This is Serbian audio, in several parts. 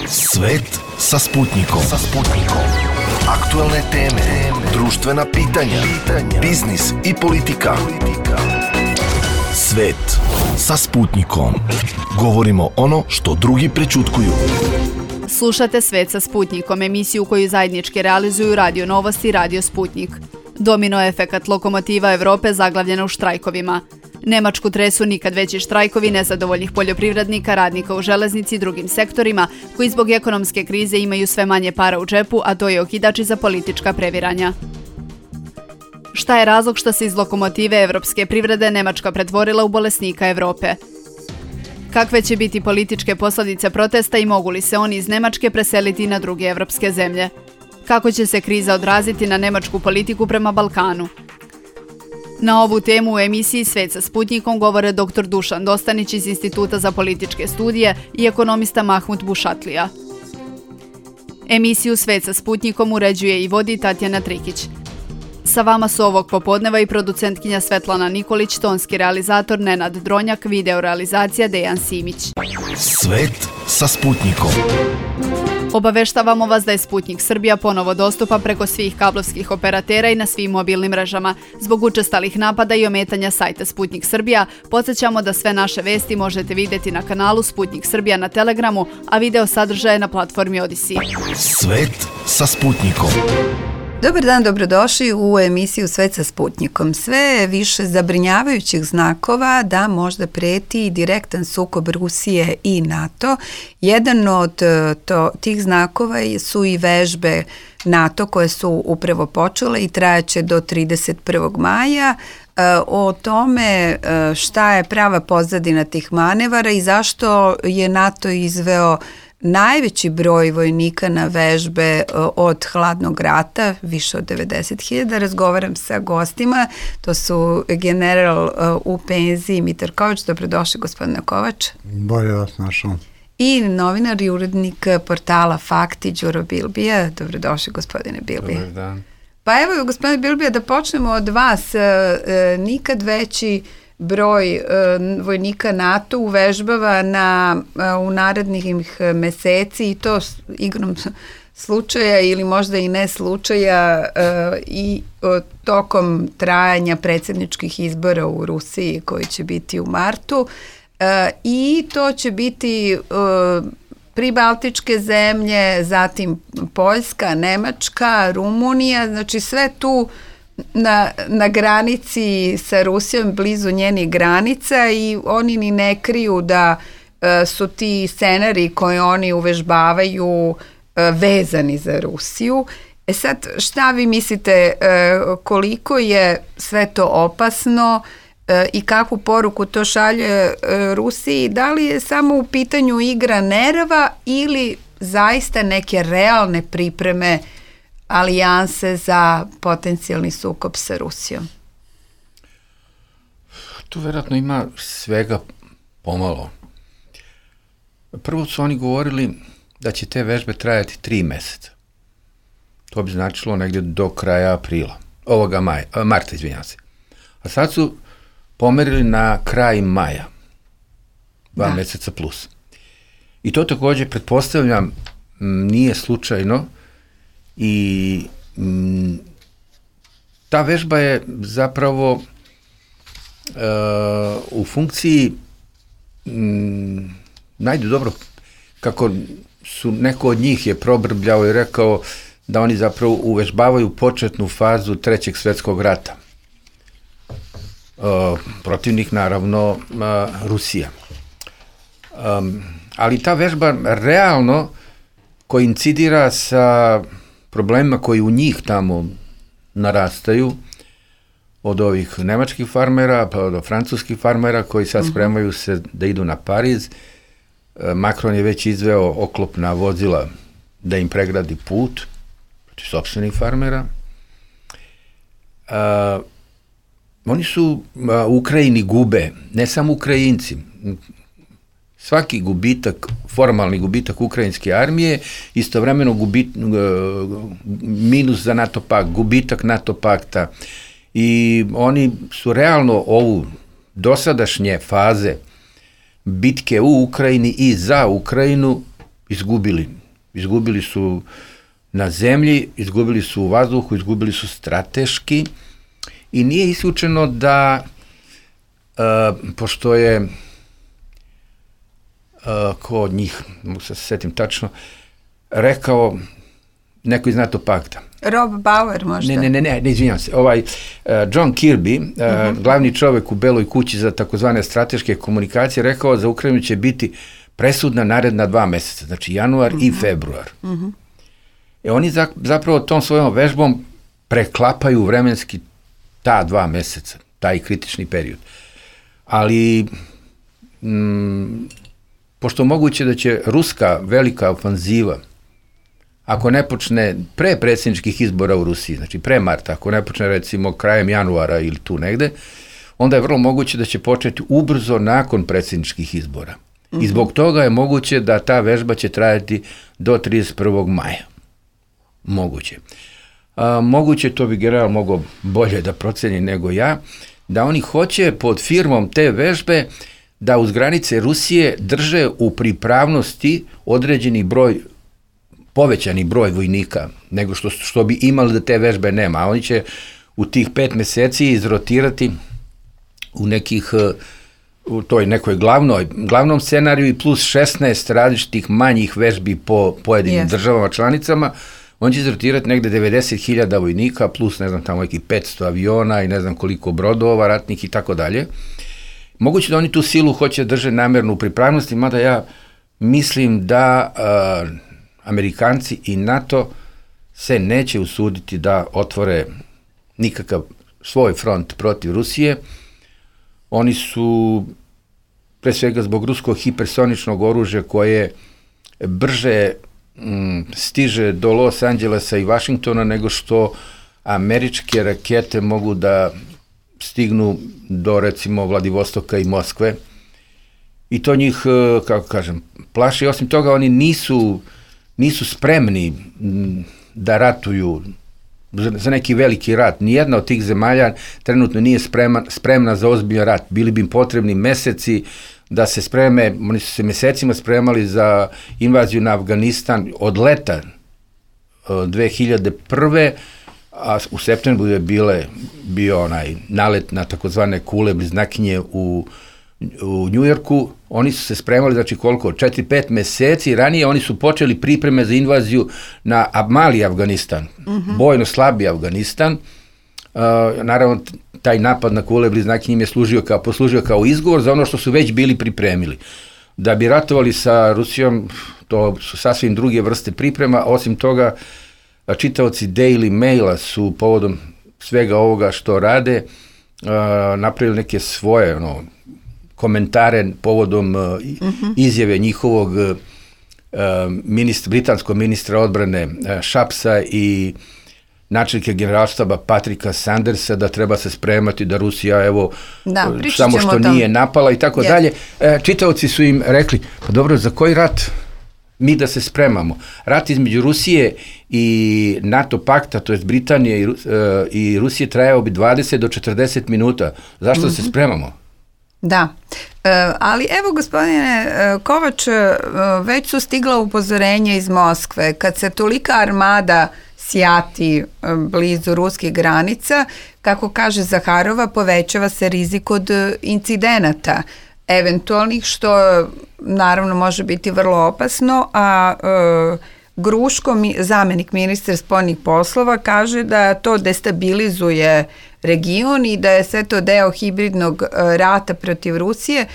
Svet sa Sputnikom. Aktualne teme, društvena pitanja, biznis i politika. Svet sa Sputnikom. Govorimo ono što drugi prećutkuju. Slušate Svet sa Sputnikom, emisiju koju zajednički realizuju Radio Novosti i Radio Sputnik. Domino efekat lokomotiva Evrope zaglavljena u štrajkovima. Nemačku tresu nikad veći štrajkovi nezadovoljnih poljoprivrednika, radnika u železnici i drugim sektorima koji zbog ekonomske krize imaju sve manje para u džepu, a to je okidač za politička previranja. Šta je razlog što se iz lokomotive evropske privrede Nemačka pretvorila u bolesnika Evrope? Kakve će biti političke posljedice protesta i mogu li se oni iz Nemačke preseliti na druge evropske zemlje? Kako će se kriza odraziti na nemačku politiku prema Balkanu? Na ovu temu u emisiji Svet sa Sputnikom govore dr. Dušan Dostanić iz Instituta za političke studije i ekonomista Mahmut Bušatlija. Emisiju Svet sa Sputnikom uređuje i vodi Tatjana Trikić. Sa vama su ovog popodneva i producentkinja Svetlana Nikolić, tonski realizator Nenad Dronjak, video realizacija Dejan Simić. Svet sa Sputnikom. Obaveštavamo vas da je Sputnik Srbija ponovo dostupan preko svih kablovskih operatera i na svim mobilnim mrežama. Zbog učestalih napada i ometanja sajta Sputnik Srbija, podsjećamo da sve naše vesti možete vidjeti na kanalu Sputnik Srbija na Telegramu, a video sadržaje na platformi Odisi. Svet sa Sputnikom. Dobar dan, dobrodošli u emisiju Svet sa Sputnikom. Sve je više zabrinjavajućih znakova da možda preti direktan sukob Rusije i NATO. Jedan od tih znakova su i vežbe NATO koje su upravo počele i trajaće do 31. maja. O tome šta je prava pozadina tih manevara i zašto je NATO izveo najveći broj vojnika na vežbe od hladnog rata, više od 90.000. Razgovaram sa gostima, to su general u penziji Mitar Kovač. Dobrodošli, gospodine Kovač. Bolje vas našao. I novinar i urednik portala Fakti Đuro Bilbija. Dobrodošli, gospodine Bilbija. Dobar dan. Pa evo, gospodine Bilbija, da počnemo od vas. Nikad veći broj vojnika NATO uvežbava u narednih meseci i to igrom slučaja ili možda i ne slučaja i tokom trajanja predsjedničkih izbora u Rusiji koji će biti u martu i to će biti pribaltičke zemlje, zatim Poljska, Nemačka, Rumunija, znači sve tu na granici sa Rusijom, blizu njenih granica i oni ni ne kriju da su ti scenari koje oni uvežbavaju vezani za Rusiju. Sad, šta vi mislite koliko je sve to opasno i kakvu poruku to šalje Rusiji? Da li je samo u pitanju igra nerava ili zaista neke realne pripreme alijanse za potencijalni sukob sa Rusijom? Tu vjerojatno ima svega pomalo. Prvo su oni govorili da će te vežbe trajati 3 mjeseca. To bi značilo negdje do kraja aprila. Marta, izvinjam se. A sad su pomerili na kraj maja. 2 mjeseca plus. I to također, pretpostavljam, nije slučajno. I ta vežba je zapravo u funkciji najde dobro kako su neko od njih je probrbljao i rekao da oni zapravo uvežbavaju početnu fazu 3. svjetskog rata. Protivnik naravno Rusija. Ali ta vežba realno koincidira sa problemima koji u njih tamo narastaju, od ovih nemačkih farmera pa do francuskih farmera koji sad spremaju se da idu na Pariz. Macron je već izveo oklopna vozila da im pregradi put protiv sopstvenih farmera. Oni su u Ukrajini gube, ne samo Ukrajinci. Svaki gubitak, formalni gubitak ukrajinske armije, istovremeno minus za NATO pakt, gubitak NATO pakta. I oni su realno ovu dosadašnje faze bitke u Ukrajini i za Ukrajinu izgubili. Izgubili su na zemlji, izgubili su u vazduhu, izgubili su strateški i nije isključeno da, pošto je ko od njih, mogu se setim tačno, rekao neko iz NATO pakta. Rob Bauer možda? Ne, izvinjam se. John Kirby, glavni čovek u Beloj kući za takozvane strateške komunikacije, rekao za Ukrajinu će biti presudna naredna 2 meseca, znači januar i februar. Oni zapravo tom svojom vežbom preklapaju vremenski ta 2 meseca, taj kritični period. Ali, pošto moguće da će ruska velika ofanziva, ako ne počne pre predsjedničkih izbora u Rusiji, znači pre marta, ako ne počne recimo krajem januara ili tu negde, onda je vrlo moguće da će početi ubrzo nakon predsjedničkih izbora. I zbog toga je moguće da ta vežba će trajati do 31. maja. Moguće. Moguće, to bi general mogao bolje da proceni nego ja, da oni hoće pod firmom te vežbe da uz granice Rusije drže u pripravnosti određeni broj, povećani broj vojnika nego što bi imali da te vežbe nema. A oni će u tih 5 meseci izrotirati u nekih, u toj nekoj glavnom scenariju i plus 16 različitih manjih vežbi po pojedinim državama članicama. On će izrotirati negde 90.000 vojnika plus, ne znam, tamo nekih 500 aviona i ne znam koliko brodova ratnih i tako dalje. Moguće da oni tu silu hoće drže namerno u pripravnosti, mada ja mislim da Amerikanci i NATO se neće usuditi da otvore nikakav svoj front protiv Rusije. Oni su, pre svega zbog ruskog hipersoničnog oružja koje brže stiže do Los Angelesa i Vašingtona nego što američke rakete mogu da stignu do recimo Vladivostoka i Moskve. I to njih, kako kažem, plaši. Osim toga, oni nisu spremni da ratuju za neki veliki rat. Nijedna od tih zemalja trenutno nije spremna za ozbiljan rat. Bili bi im potrebni meseci da se spreme, oni su se mesecima spremali za invaziju na Afganistan od leta 2001. A u septembru je bio onaj nalet na takozvane kule bliznakinje u Njujorku. Oni su se spremali, znači koliko, 4-5 meseci ranije oni su počeli pripreme za invaziju na mali Afganistan, bojno slabi Afganistan. Naravno, taj napad na kule bliznakinje im je poslužio kao izgovor za ono što su već bili pripremili. Da bi ratovali sa Rusijom, to su sasvim druge vrste priprema. Osim toga, čitaoci Daily Maila su povodom svega ovoga što rade napravili neke svoje komentare povodom izjave njihovog britanskog ministra odbrane Shapsa i načelnika generalštaba Patricka Sandersa da treba se spremati da Rusija samo što nije napala i tako dalje. Čitaoci su im rekli, pa dobro, za koji rat mi da se spremamo? Rat između Rusije i NATO pakta, to je Britanije i Rusije, trajao bi 20 do 40 minuta. Zašto se spremamo? Da, ali evo gospodine Kovač, već su stigla upozorenja iz Moskve. Kad se tolika armada sjati blizu ruskih granica, kako kaže Zaharova, povećava se rizik od incidenata eventualnih, što naravno može biti vrlo opasno, a Gruško, zamenik ministra spoljnih poslova, kaže da to destabilizuje region i da je sve to deo hibridnog rata protiv Rusije.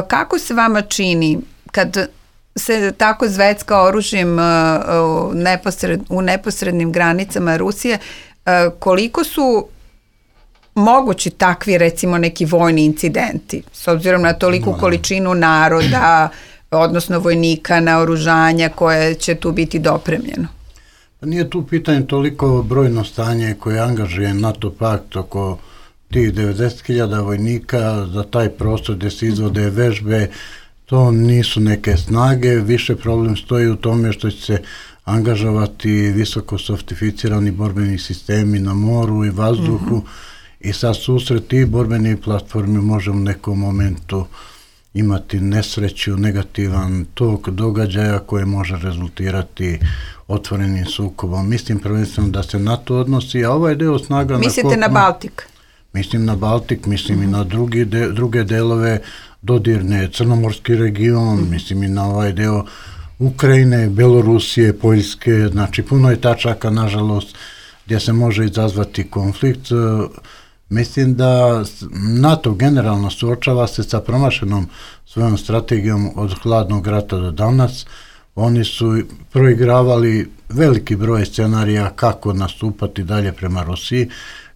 Kako se vama čini kad se tako zvecka oružjem u neposrednim granicama Rusije, koliko su mogući takvi, recimo, neki vojni incidenti, s obzirom na toliku količinu naroda, odnosno vojnika, naoružanja koje će tu biti dopremljeno? Nije tu pitanje toliko brojno stanje koje angažuje NATO pakt oko tih 90.000 vojnika za taj prostor gde se izvode vežbe. To nisu neke snage, više problem stoji u tome što će se angažovati visoko softificirani borbeni sistemi na moru i vazduhu i sad susret tih borbenih platformi može u nekom momentu imati nesreću, negativan tok događaja koje može rezultirati otvorenim sukobom. Mislim prvenstveno da se na to odnosi, a ovaj deo snaga Mislite na Baltik? Mislim na Baltik, mislim i na druge delove dodirne, Crnomorski region, mislim i na ovaj deo Ukrajine, Belorusije, Poljske, znači puno je tačaka, nažalost, gdje se može izazvati konflikt. Mislim da NATO generalno suočava se sa promašenom svojom strategijom od hladnog rata do danas. Oni su proigravali veliki broj scenarija kako nastupati dalje prema Rusiji.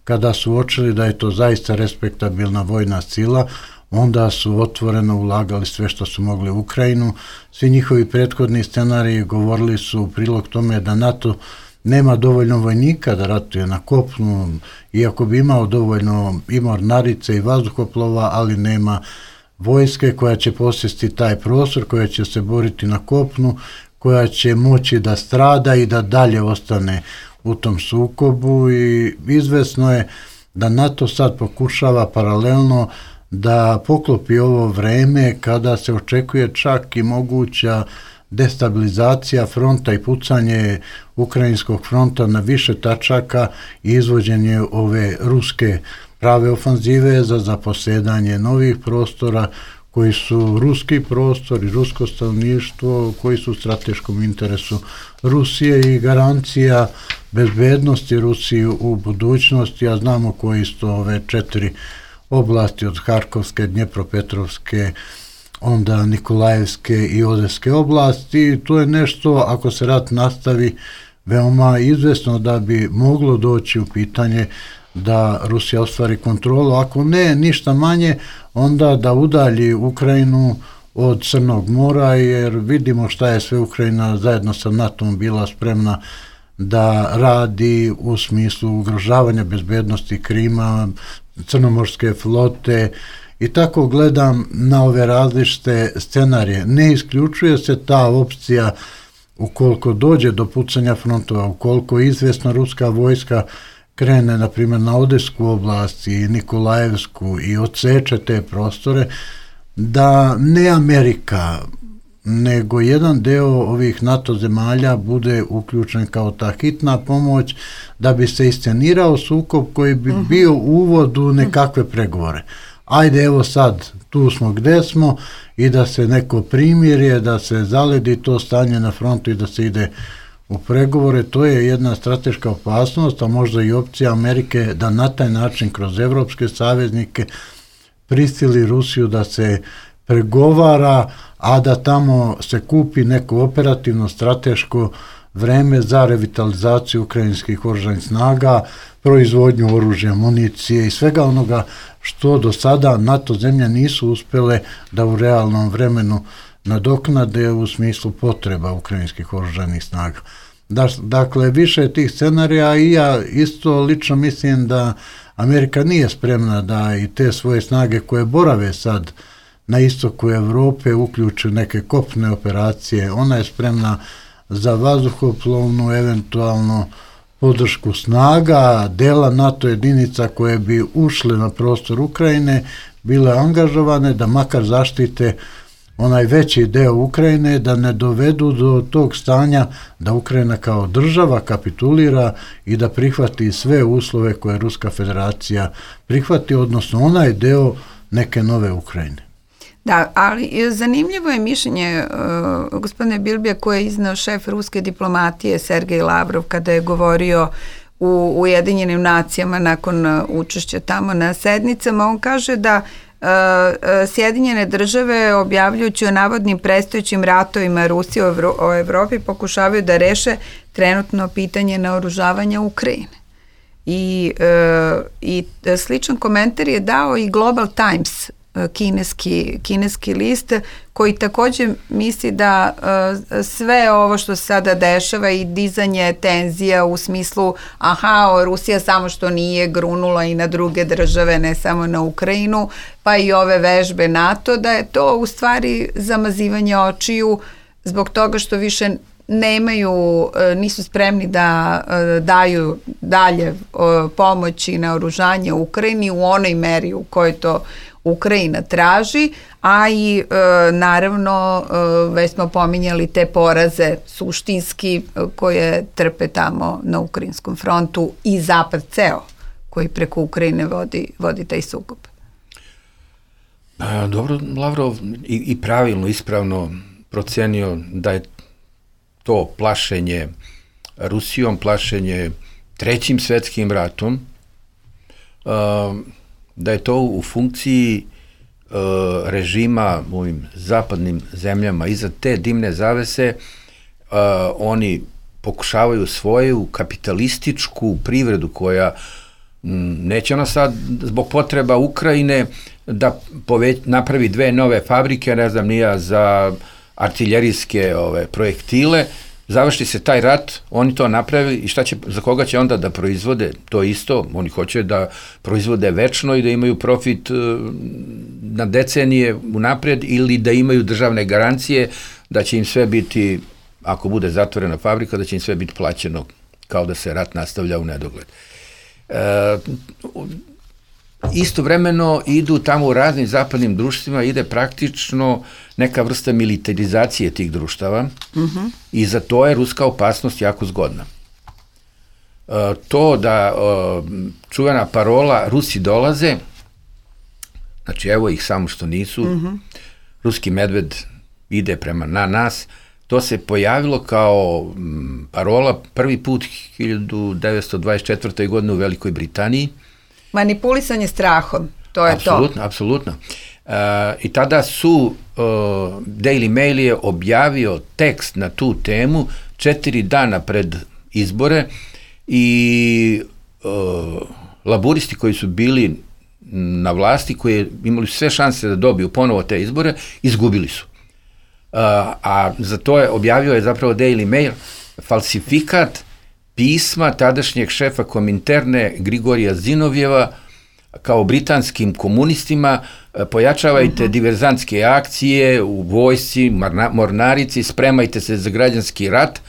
Kada su uočili da je to zaista respektabilna vojna sila, onda su otvoreno ulagali sve što su mogli u Ukrajinu. Svi njihovi prethodni scenariji govorili su u prilog tome da NATO nema dovoljno vojnika da ratuje na kopnu, iako bi imao dovoljno i mornarice i vazduhoplova, ali nema vojske koja će posjesti taj prostor, koja će se boriti na kopnu, koja će moći da strada i da dalje ostane u tom sukobu, i izvesno je da NATO sad pokušava paralelno da poklopi ovo vreme kada se očekuje čak i moguća destabilizacija fronta i pucanje ukrajinskog fronta na više tačaka i izvođenje ove ruske prave ofanzive za zaposedanje novih prostora koji su ruski prostor i rusko stanovništvo, koji su u strateškom interesu Rusije i garancija bezbednosti Rusiji u budućnosti, a znamo koji su ove 4 oblasti od Harkovske, Dnjepropetrovske, onda Nikolajevske i Odeske oblasti. To je nešto, ako se rat nastavi, veoma izvesno da bi moglo doći u pitanje da Rusija ostvari kontrolu, ako ne ništa manje, onda da udalji Ukrajinu od Crnog mora, jer vidimo šta je sve Ukrajina zajedno sa NATO-om bila spremna da radi u smislu ugrožavanja bezbednosti Krima, Crnomorske flote, i tako gledam na ove različite scenarije. Ne isključuje se ta opcija ukoliko dođe do pucanja frontova, ukoliko izvesno ruska vojska krene, na primjer, na Odesku oblast i Nikolajevsku i odseče te prostore, da ne Amerika, nego jedan deo ovih NATO zemalja bude uključen kao ta hitna pomoć da bi se iscenirao sukob koji bi bio uvod u nekakve pregovore. Ajde, evo sad, tu smo gde smo, i da se neko primirje, da se zaledi to stanje na frontu i da se ide u pregovore. To je jedna strateška opasnost, a možda i opcija Amerike da na taj način kroz evropske saveznike prisili Rusiju da se pregovara, a da tamo se kupi neko operativno strateško vreme za revitalizaciju ukrajinskih oružanih snaga, proizvodnju oružja, municije i svega onoga što do sada NATO zemlje nisu uspjele da u realnom vremenu nadoknade u smislu potreba ukrajinskih oružanih snaga. Dakle, više tih scenarija, i ja isto lično mislim da Amerika nije spremna da i te svoje snage koje borave sad na istoku Evrope uključi neke kopne operacije. Ona je spremna za vazduhoplovnu, eventualno podršku snaga, dela NATO jedinica koje bi ušle na prostor Ukrajine, bile angažovane da makar zaštite onaj veći deo Ukrajine, da ne dovedu do tog stanja da Ukrajina kao država kapitulira i da prihvati sve uslove koje Ruska federacija prihvati, odnosno onaj deo neke nove Ukrajine. Da, ali zanimljivo je mišljenje gospodine Bilbija koje je izneo šef ruske diplomatije Sergej Lavrov kada je govorio u Ujedinjenim nacijama nakon učešća tamo na sednicama. On kaže da Sjedinjene države, objavljujući o navodnim predstojećim ratovima Rusije o Evropi, pokušavaju da reše trenutno pitanje naoružavanja Ukrajine. I sličan komentar je dao i Global Times, kineski list, koji također misli da sve ovo što se sada dešava i dizanje tenzija u smislu Rusija samo što nije grunula i na druge države, ne samo na Ukrajinu, pa i ove vežbe NATO, da je to u stvari zamazivanje očiju zbog toga što više nisu spremni da daju dalje pomoći na oružanje Ukrajini u onoj meri u kojoj to Ukrajina traži, a i naravno već smo pominjali te poraze suštinski koje trpe tamo na ukrajinskom frontu i Zapad ceo koji preko Ukrajine vodi taj sukob. Dobro, Lavrov i pravilno, ispravno procenio da je to plašenje Rusijom, plašenje Trećim svetskim ratom, da je to u funkciji režima u ovim zapadnim zemljama. Iza te dimne zavese oni pokušavaju svoju kapitalističku privredu koja neće ona sad zbog potreba Ukrajine da napravi 2 nove fabrike, ne znam nija, za artiljerijske projektile, završi se taj rat, oni to napravi i za koga će onda da proizvode to isto, oni hoće da proizvode večno i da imaju profit na decenije unapred ili da imaju državne garancije da će im sve biti, ako bude zatvorena fabrika, da će im sve biti plaćeno kao da se rat nastavlja u nedogled. Istovremeno idu tamo u raznim zapadnim društvima, ide praktično neka vrsta militarizacije tih društava i za to je ruska opasnost jako zgodna. To da čuvena parola Rusi dolaze, znači evo ih samo što nisu, ruski medved ide prema na nas, to se pojavilo kao parola prvi put 1924. godine u Velikoj Britaniji. Manipulisanje strahom, to je to. Apsolutno. I tada su, Daily Mail je objavio tekst na tu temu 4 dana pred izbore i laburisti koji su bili na vlasti, koji imali sve šanse da dobiju ponovo te izbore, izgubili su. A za to je objavio je zapravo Daily Mail falsifikat pisma tadašnjeg šefa Kominterne Grigorija Zinovjeva kao britanskim komunistima: pojačavajte diverzantske akcije u vojsci, mornarici, spremajte se za građanski rat.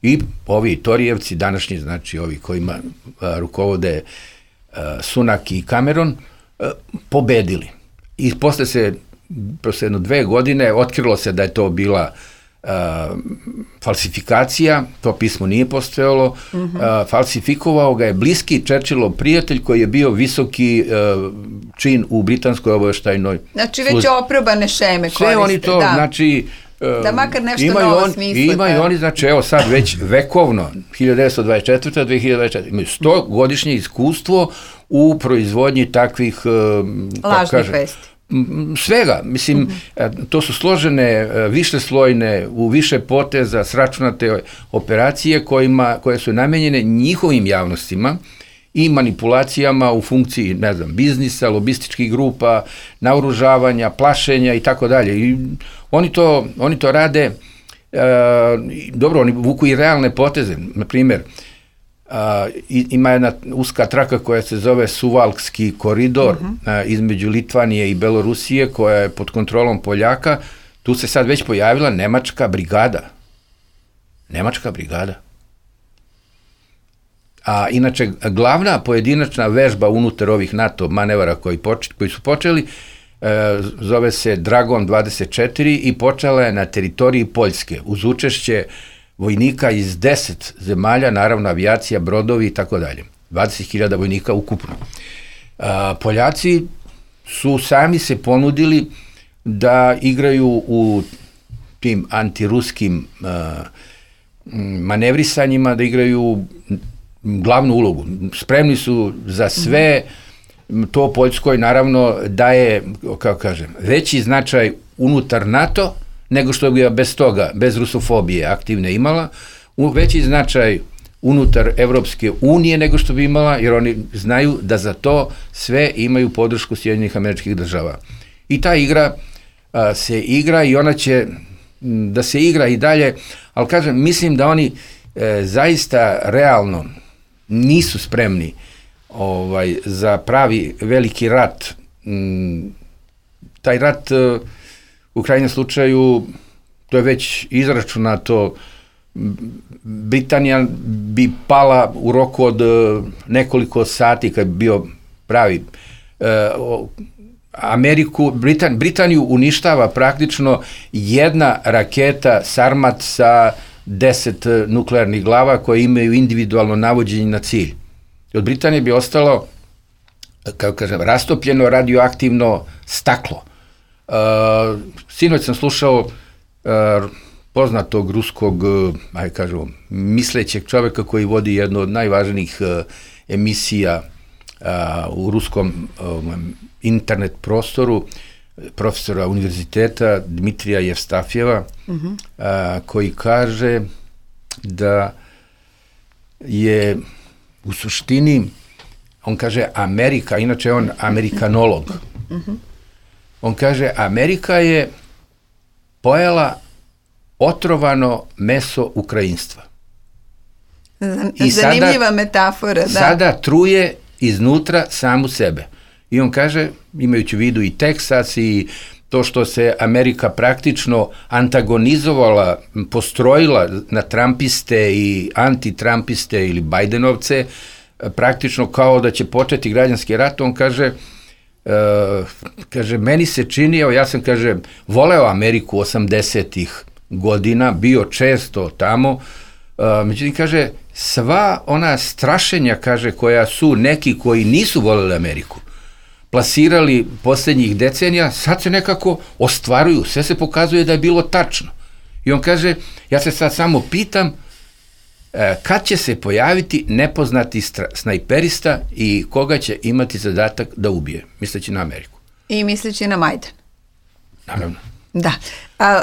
I ovi Torijevci, današnji, znači ovi kojima rukovode Sunak i Cameron, pobedili. I posle jedno 2 godine otkrilo se da je to bila falsifikacija, to pismo nije postojalo, falsifikovao ga je bliski Churchillov prijatelj koji je bio visoki čin u britanskoj obaveštajnoj službi. Znači već oprobane šeme koriste. Sve oni to, znači, da makar nešto novo smisle. Imaju oni, znači, evo sad već vekovno, 1924. 2024. imaju 100-godišnje iskustvo u proizvodnji takvih lažnih vesti. Svega, mislim, to su složene, višeslojne, u više poteza sračunate operacije koje su namenjene njihovim javnostima i manipulacijama u funkciji, ne znam, biznisa, lobističkih grupa, naoružavanja, plašenja i tako dalje. I oni to rade, dobro, oni vuku i realne poteze, na primjer, ima jedna uska traka koja se zove Suvalkski koridor između Litvanije i Belorusije, koja je pod kontrolom Poljaka. Tu se sad već pojavila nemačka brigada. A inače, glavna pojedinačna vežba unutar ovih NATO manevara koji su počeli zove se Dragon 24 i počela je na teritoriji Poljske uz učešće vojnika iz 10 zemalja, naravno avijacija, brodovi i tako dalje. 20.000 vojnika ukupno. Poljaci su sami se ponudili da igraju u tim antiruskim manevrisanjima, da igraju glavnu ulogu. Spremni su za sve, to Poljskoj naravno daje, kako kažem, veći značaj unutar NATO nego što bi bez toga, bez rusofobije aktivne imala, veći značaj unutar Evropske unije nego što bi imala, jer oni znaju da za to sve imaju podršku Sjedinjenih Američkih Država. I ta igra se igra i ona će da se igra i dalje, ali kažem, mislim da oni zaista realno nisu spremni za pravi veliki rat. Taj rat u krajnjem slučaju, to je već izračunato, Britanija bi pala u roku od nekoliko sati kad bi bio pravi Britaniju uništava praktično jedna raketa Sarmat sa 10 nuklearnih glava koje imaju individualno navođenje na cilj. Od Britanije bi ostalo, kako kažem, rastopljeno radioaktivno staklo. Sinoć sam slušao poznatog ruskog, mislećeg čoveka koji vodi jednu od najvažnijih emisija u ruskom internet prostoru, profesora univerziteta Dmitrija Jevstafjeva, koji kaže da je u suštini, on kaže Amerika, inače je on amerikanolog, on kaže Amerika je pojela otrovano meso ukrajinstva. Zanimljiva metafora, da. Sada truje iznutra samu sebe. I on kaže, imajući u vidu i Teksas i to što se Amerika praktično antagonizovala, postrojila na Trumpiste i anti-Trumpiste ili Bajdenovce, praktično kao da će početi građanski rat, on kaže, meni se čini, evo ja sam, kaže, voleo Ameriku 80-ih godina, bio često tamo, međutim, kaže, sva ona strašenja, kaže, koja su neki koji nisu voleli Ameriku plasirali posljednjih decenija, sad se nekako ostvaruju, sve se pokazuje da je bilo tačno. I on kaže, ja se sad samo pitam kad će se pojaviti nepoznati snajperista i koga će imati zadatak da ubije, misleći na Ameriku. I misleći na Majdan. Naravno. Da,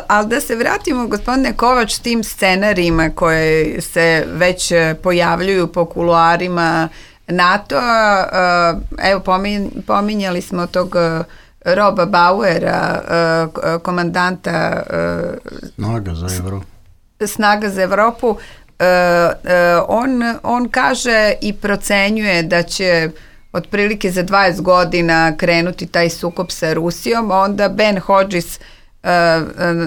ali da se vratimo, gospodine Kovač, tim scenarijima koje se već pojavljuju po kuloarima NATO-a, evo pominjali smo tog Roba Bauera, komandanta Snaga za Evropu, on kaže i procenjuje da će otprilike za 20 godina krenuti taj sukob sa Rusijom, onda Ben Hodges,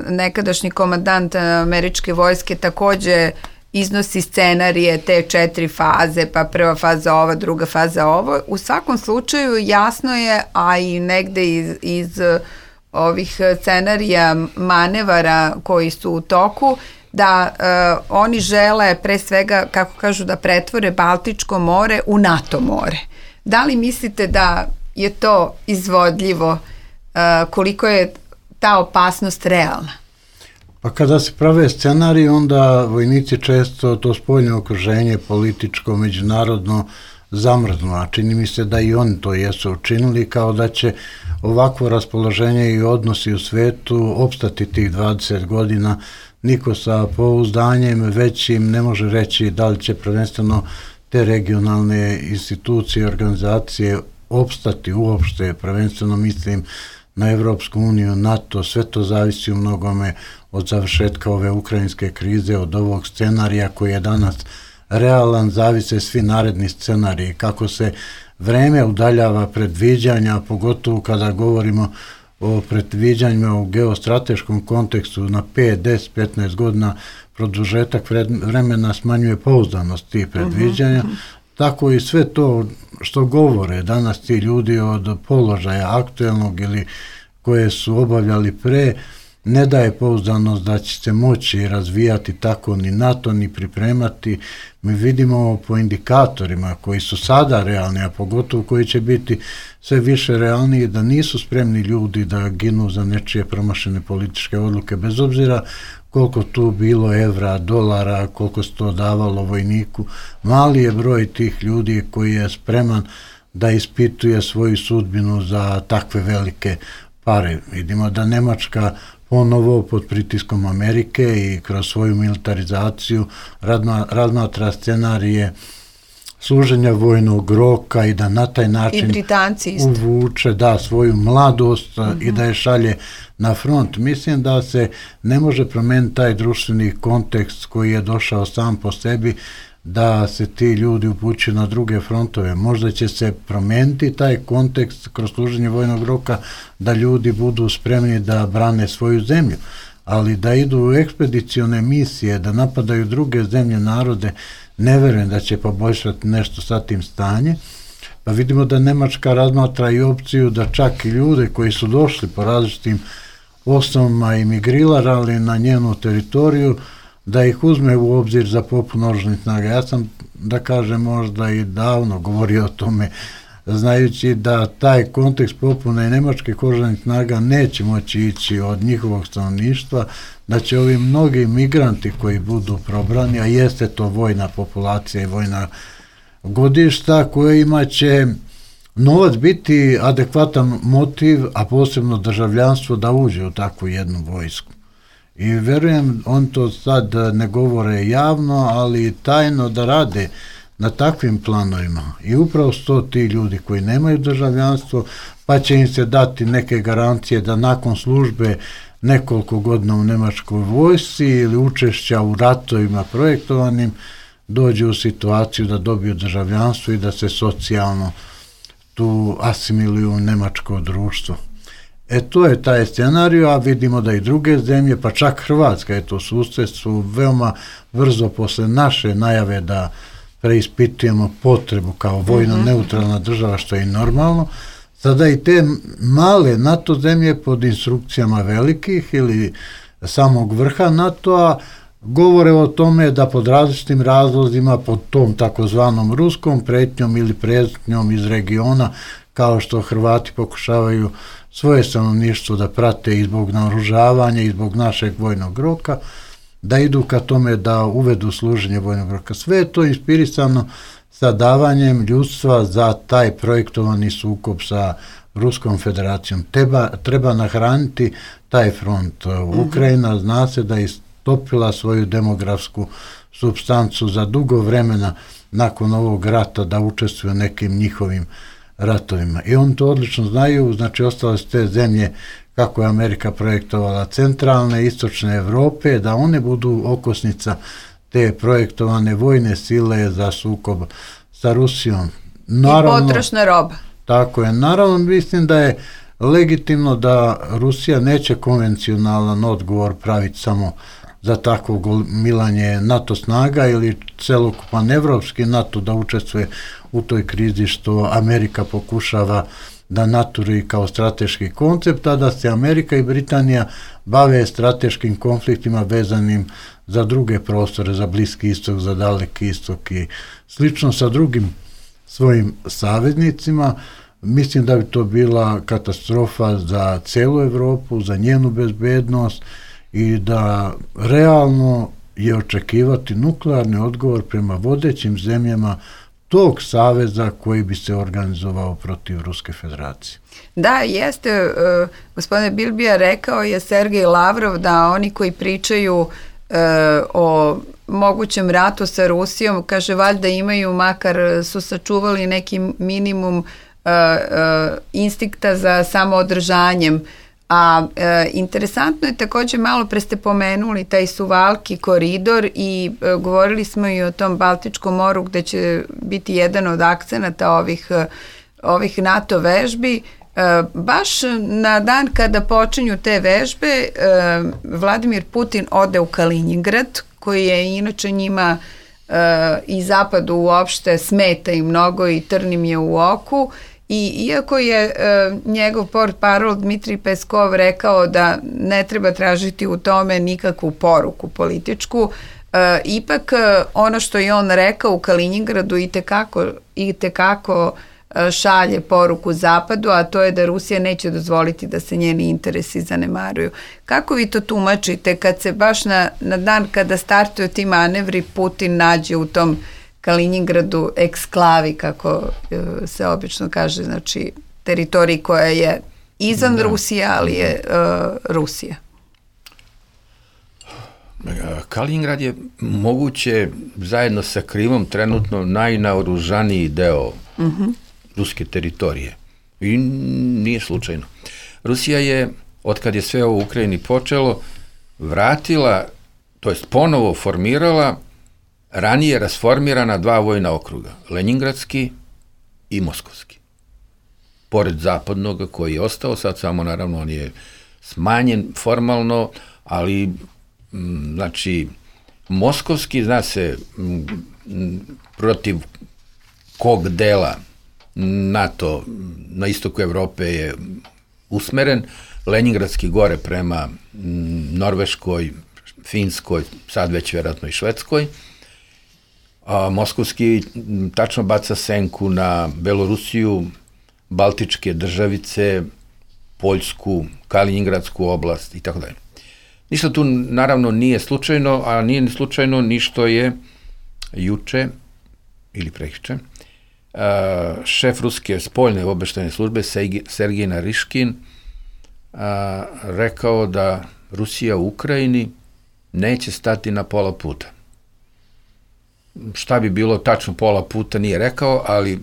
nekadašnji komandant američke vojske, takođe iznosi scenarije te 4 faze, pa prva faza ova, druga faza ovo. U svakom slučaju jasno je, a i negde iz ovih scenarija manevara koji su u toku, da oni žele pre svega, kako kažu, da pretvore Baltičko more u NATO more. Da li mislite da je to izvodljivo, koliko je ta opasnost realna? Pa kada se prave scenariji, onda vojnici često to spoljno okruženje političko, međunarodno zamrznu, a čini mi se da i oni to jesu učinili, kao da će ovakvo raspoloženje i odnosi u svetu opstati tih 20 godina. Niko sa pouzdanjem većim ne može reći da li će prvenstveno te regionalne institucije, organizacije opstati uopšte, prvenstveno mislim na Evropsku uniju, NATO, sve to zavisi u mnogome od završetka ove ukrajinske krize, od ovog scenarija koji je danas realan, zavise svi naredni scenariji, kako se vreme udaljava predviđanja, pogotovo kada govorimo o predviđanjima u geostrateškom kontekstu na 5, 10, 15 godina, produžetak vremena smanjuje pouzdanost tih predviđanja, tako i sve to što govore danas ti ljudi od položaja aktuelnog ili koje su obavljali pre, ne daje pouzdanost da će se moći razvijati tako ni NATO, ni pripremati. Mi vidimo po indikatorima koji su sada realni, a pogotovo koji će biti sve više realniji, da nisu spremni ljudi da ginu za nečije promašene političke odluke, bez obzira koliko tu bilo evra, dolara, koliko se to davalo vojniku. Mali je broj tih ljudi koji je spreman da ispituje svoju sudbinu za takve velike pare. Vidimo da Nemačka ponovo pod pritiskom Amerike i kroz svoju militarizaciju razmatra scenarije služenja vojnog roka i da na taj način uvuče svoju mladost i da je šalje na front. Mislim da se ne može promeniti taj društveni kontekst koji je došao sam po sebi, da se ti ljudi upućuju na druge frontove. Možda će se promeniti taj kontekst kroz služenje vojnog roka, da ljudi budu spremni da brane svoju zemlju, ali da idu u ekspedicione misije, da napadaju druge zemlje, narode, ne verujem da će poboljšati nešto sa tim stanjem. Pa vidimo da Nemačka razmatra i opciju da čak i ljude koji su došli po različitim osnovama i migrirali na njenu teritoriju, da ih uzme u obzir za popunu oružanih snaga. Ja sam, da kažem, možda i davno govorio o tome, znajući da taj kontekst popune nemačkih oružanih snaga neće moći ići od njihovog stanovništva, da će ovi mnogi migranti koji budu probrani, a jeste to vojna populacija i vojna godišta, kojima će novac biti adekvatan motiv, a posebno državljanstvo, da uđe u takvu jednu vojsku. I verujem, on to sad ne govore javno, ali tajno da rade na takvim planovima. I upravo su to ti ljudi koji nemaju državljanstvo, pa će im se dati neke garancije da nakon službe nekoliko godina u nemačkoj vojsci ili učešća u ratovima projektovanim dođe u situaciju da dobiju državljanstvo i da se socijalno tu asimiluju u nemačko društvo. To je taj scenarij, a vidimo da i druge zemlje, pa čak Hrvatska je to susjedstvo, veoma brzo posle naše najave da preispitujemo potrebu kao vojno neutralna država, što je i normalno, sada i te male NATO zemlje pod instrukcijama velikih ili samog vrha NATO-a govore o tome da pod različitim razlozima, pod tom takozvanom ruskom pretnjom ili pretnjom iz regiona, kao što Hrvati pokušavaju svoje stanovništvo da prate i zbog naoružavanja i zbog našeg vojnog roka, da idu ka tome da uvedu služenje vojnog roka. Sve je to inspirisano sa davanjem ljudstva za taj projektovani sukob sa Ruskom federacijom. Treba nahraniti taj front. Ukrajina zna se da je istopila svoju demografsku supstancu za dugo vremena nakon ovog rata da učestvuju u nekim njihovim ratovima. I oni to odlično znaju, znači ostale su te zemlje, kako je Amerika projektovala, centralne, istočne Evrope, da one budu okosnica te projektovane vojne sile za sukob sa Rusijom. Naravno, i potrošna roba. Tako je. Naravno, mislim da je legitimno da Rusija neće konvencionalan odgovor praviti samo za takvo gomilanje NATO snaga ili celokupan evropski NATO da učestvuje u toj krizi što Amerika pokušava da naturi kao strateški koncept, a da se Amerika i Britanija bave strateškim konfliktima vezanim za druge prostore, za Bliski istok, za Daleki istok i slično sa drugim svojim saveznicima. Mislim da bi to bila katastrofa za celu Evropu, za njenu bezbednost i da realno je očekivati nuklearni odgovor prema vodećim zemljama tog saveza koji bi se organizovao protiv Ruske federacije. Da, jeste, gospodine Bilbija, rekao je Sergej Lavrov da oni koji pričaju o mogućem ratu sa Rusijom, kaže, valjda imaju, makar su sačuvali neki minimum instinkta za samoodržanjem. A interesantno je također, malo pre ste pomenuli taj Suvalki koridor i govorili smo i o tom Baltičkom moru gde će biti jedan od akcenata ovih NATO vežbi. Baš na dan kada počinju te vežbe, Vladimir Putin ode u Kaliningrad, koji je inače njima i zapadu uopšte smeta i mnogo i trnim je u oku. I iako je njegov portparol Dmitrij Peskov rekao da ne treba tražiti u tome nikakvu poruku političku, ipak ono što je on rekao u Kaliningradu i tekako šalje poruku Zapadu, a to je da Rusija neće dozvoliti da se njeni interesi zanemaruju. Kako vi to tumačite kad se baš na dan kada startuju ti manevri Putin nađe u tom Kaliningradu eksklavi, kako se obično kaže, znači teritoriji koja je izvan Rusije, ali je Rusija? Kaliningrad je moguće zajedno sa Krimom trenutno najnaoružaniji deo ruske teritorije. I nije slučajno. Rusija je, otkad je sve ovo u Ukrajini počelo, vratila, to jest ponovo formirala ranije rasformirana dva vojna okruga, Leningradski i Moskovski. Pored zapadnog koji je ostao, sad samo naravno on je smanjen formalno, ali znači Moskovski, zna se protiv kog dela NATO na istoku Evrope je usmeren, Leningradski gore prema Norveškoj, Finskoj, sad već vjerojatno i Švedskoj, a moskovski tačno baca senku na Belorusiju, Baltičke državice, Poljsku, Kaliningradsku oblast i tako dalje. Ništa tu naravno nije slučajno, a nije ni slučajno ni što je juče ili prekjuče šef ruske spoljne obavještajne službe Sergej Nariškin rekao da Rusija u Ukrajini neće stati na pola puta. Šta bi bilo tačno pola puta nije rekao, ali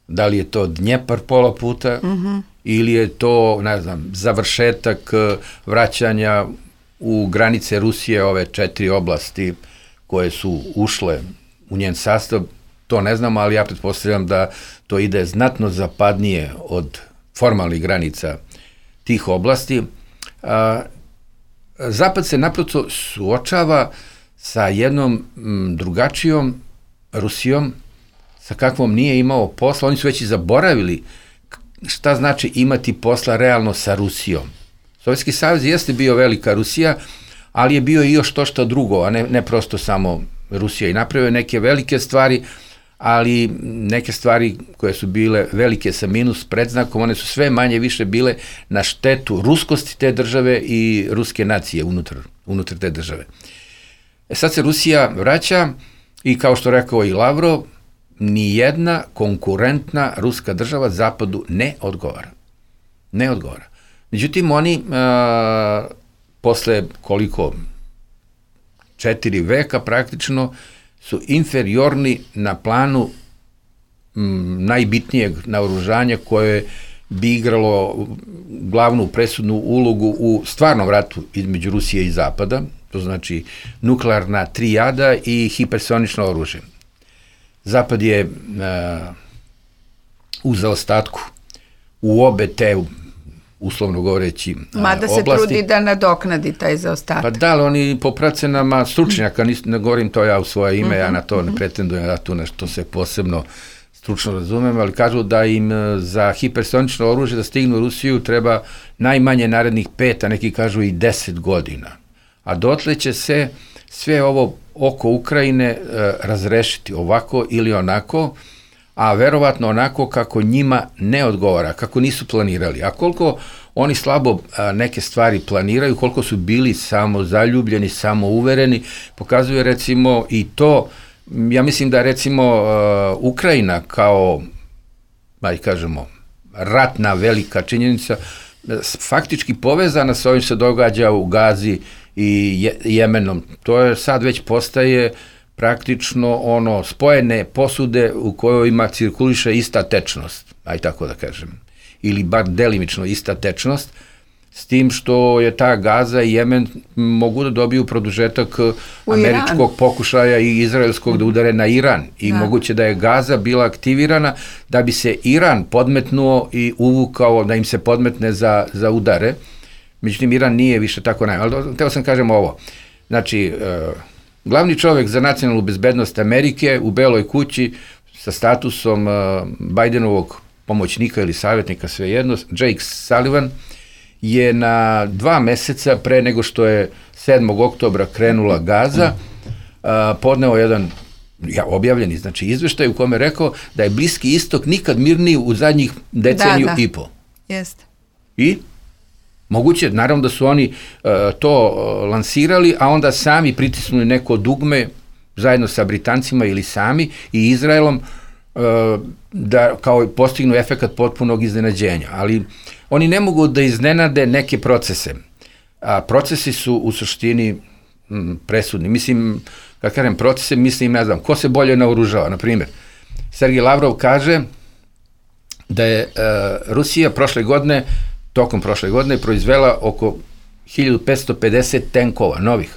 da li je to Dnjepar pola puta ili je to, ne znam, završetak vraćanja u granice Rusije, ove 4 oblasti koje su ušle u njen sastav, to ne znam, ali ja pretpostavljam da to ide znatno zapadnije od formalnih granica tih oblasti. Zapad se naprosto suočava sa jednom drugačijom Rusijom, sa kakvom nije imao posla. Oni su već i zaboravili šta znači imati posla realno sa Rusijom. Sovjetski savez jeste bio velika Rusija, ali je bio i još to što drugo, a ne prosto samo Rusija. I napravio neke velike stvari, ali neke stvari koje su bile velike sa minus predznakom, one su sve manje više bile na štetu ruskosti te države i ruske nacije unutar te države. Sad se Rusija vraća i kao što rekao i Lavrov, ni jedna konkurentna ruska država Zapadu ne odgovara. Ne odgovara. Međutim, oni posle koliko 4 veka praktično su inferiorni na planu najbitnijeg naoružanja koje bi igralo glavnu presudnu ulogu u stvarnom ratu između Rusije i Zapada, to znači nuklearna trijada i hipersonično oružje. Zapad je u zaostatku u obe te, uslovno govoreći, mada se oblasti. Trudi da nadoknadi taj zaostatak. Pa da, ali oni po procenama stručnjaka, ne govorim to ja u svoje ime, ja na to ne pretendujem, ja tu nešto se posebno stručno razumem, ali kažu da im za hipersonično oružje da stignu u Rusiju treba najmanje narednih 5, a neki kažu i 10 godina. A dotle će se sve ovo oko Ukrajine razrešiti ovako ili onako, a verovatno onako kako njima ne odgovara, kako nisu planirali. A koliko oni slabo neke stvari planiraju, koliko su bili samozaljubljeni, samouvereni, pokazuje recimo i to, ja mislim da recimo Ukrajina kao, kažemo, ratna velika činjenica, faktički povezana sa ovim se događa u Gazi i Jemenom. To je sad već postaje praktično spojene posude u kojima cirkuliše ista tečnost, tako da kažem, ili bar delimično ista tečnost, s tim što je ta Gaza i Jemen mogu da dobiju produžetak američkog pokušaja i izraelskog da udare na Iran. I moguće da je Gaza bila aktivirana da bi se Iran podmetnuo i uvukao da im se podmetne za udare. Međutim, Iran nije više tako ali teo sam kažem ovo. Znači, glavni čovjek za nacionalnu bezbednost Amerike u Beloj kući sa statusom Bajdenovog pomoćnika ili savjetnika, svejedno, Jake Sullivan, je na 2 meseca pre nego što je 7. oktobra krenula Gaza, podneo jedan objavljeni izveštaj u kome rekao da je Bliski istok nikad mirniji u zadnjih deceniju i po. Jeste. I moguće, naravno da su oni to lansirali, a onda sami pritisnuli neko dugme zajedno sa Britancima ili sami i Izraelom da kao postignu efekat potpunog iznenađenja. Ali oni ne mogu da iznenade neke procese. A procesi su u suštini presudni. Mislim, kad kažem procese, mislim, ne znam, ko se bolje naoružava. Naprimjer, Sergej Lavrov kaže da je Rusija tokom prošle godine proizvela oko 1550 tenkova novih.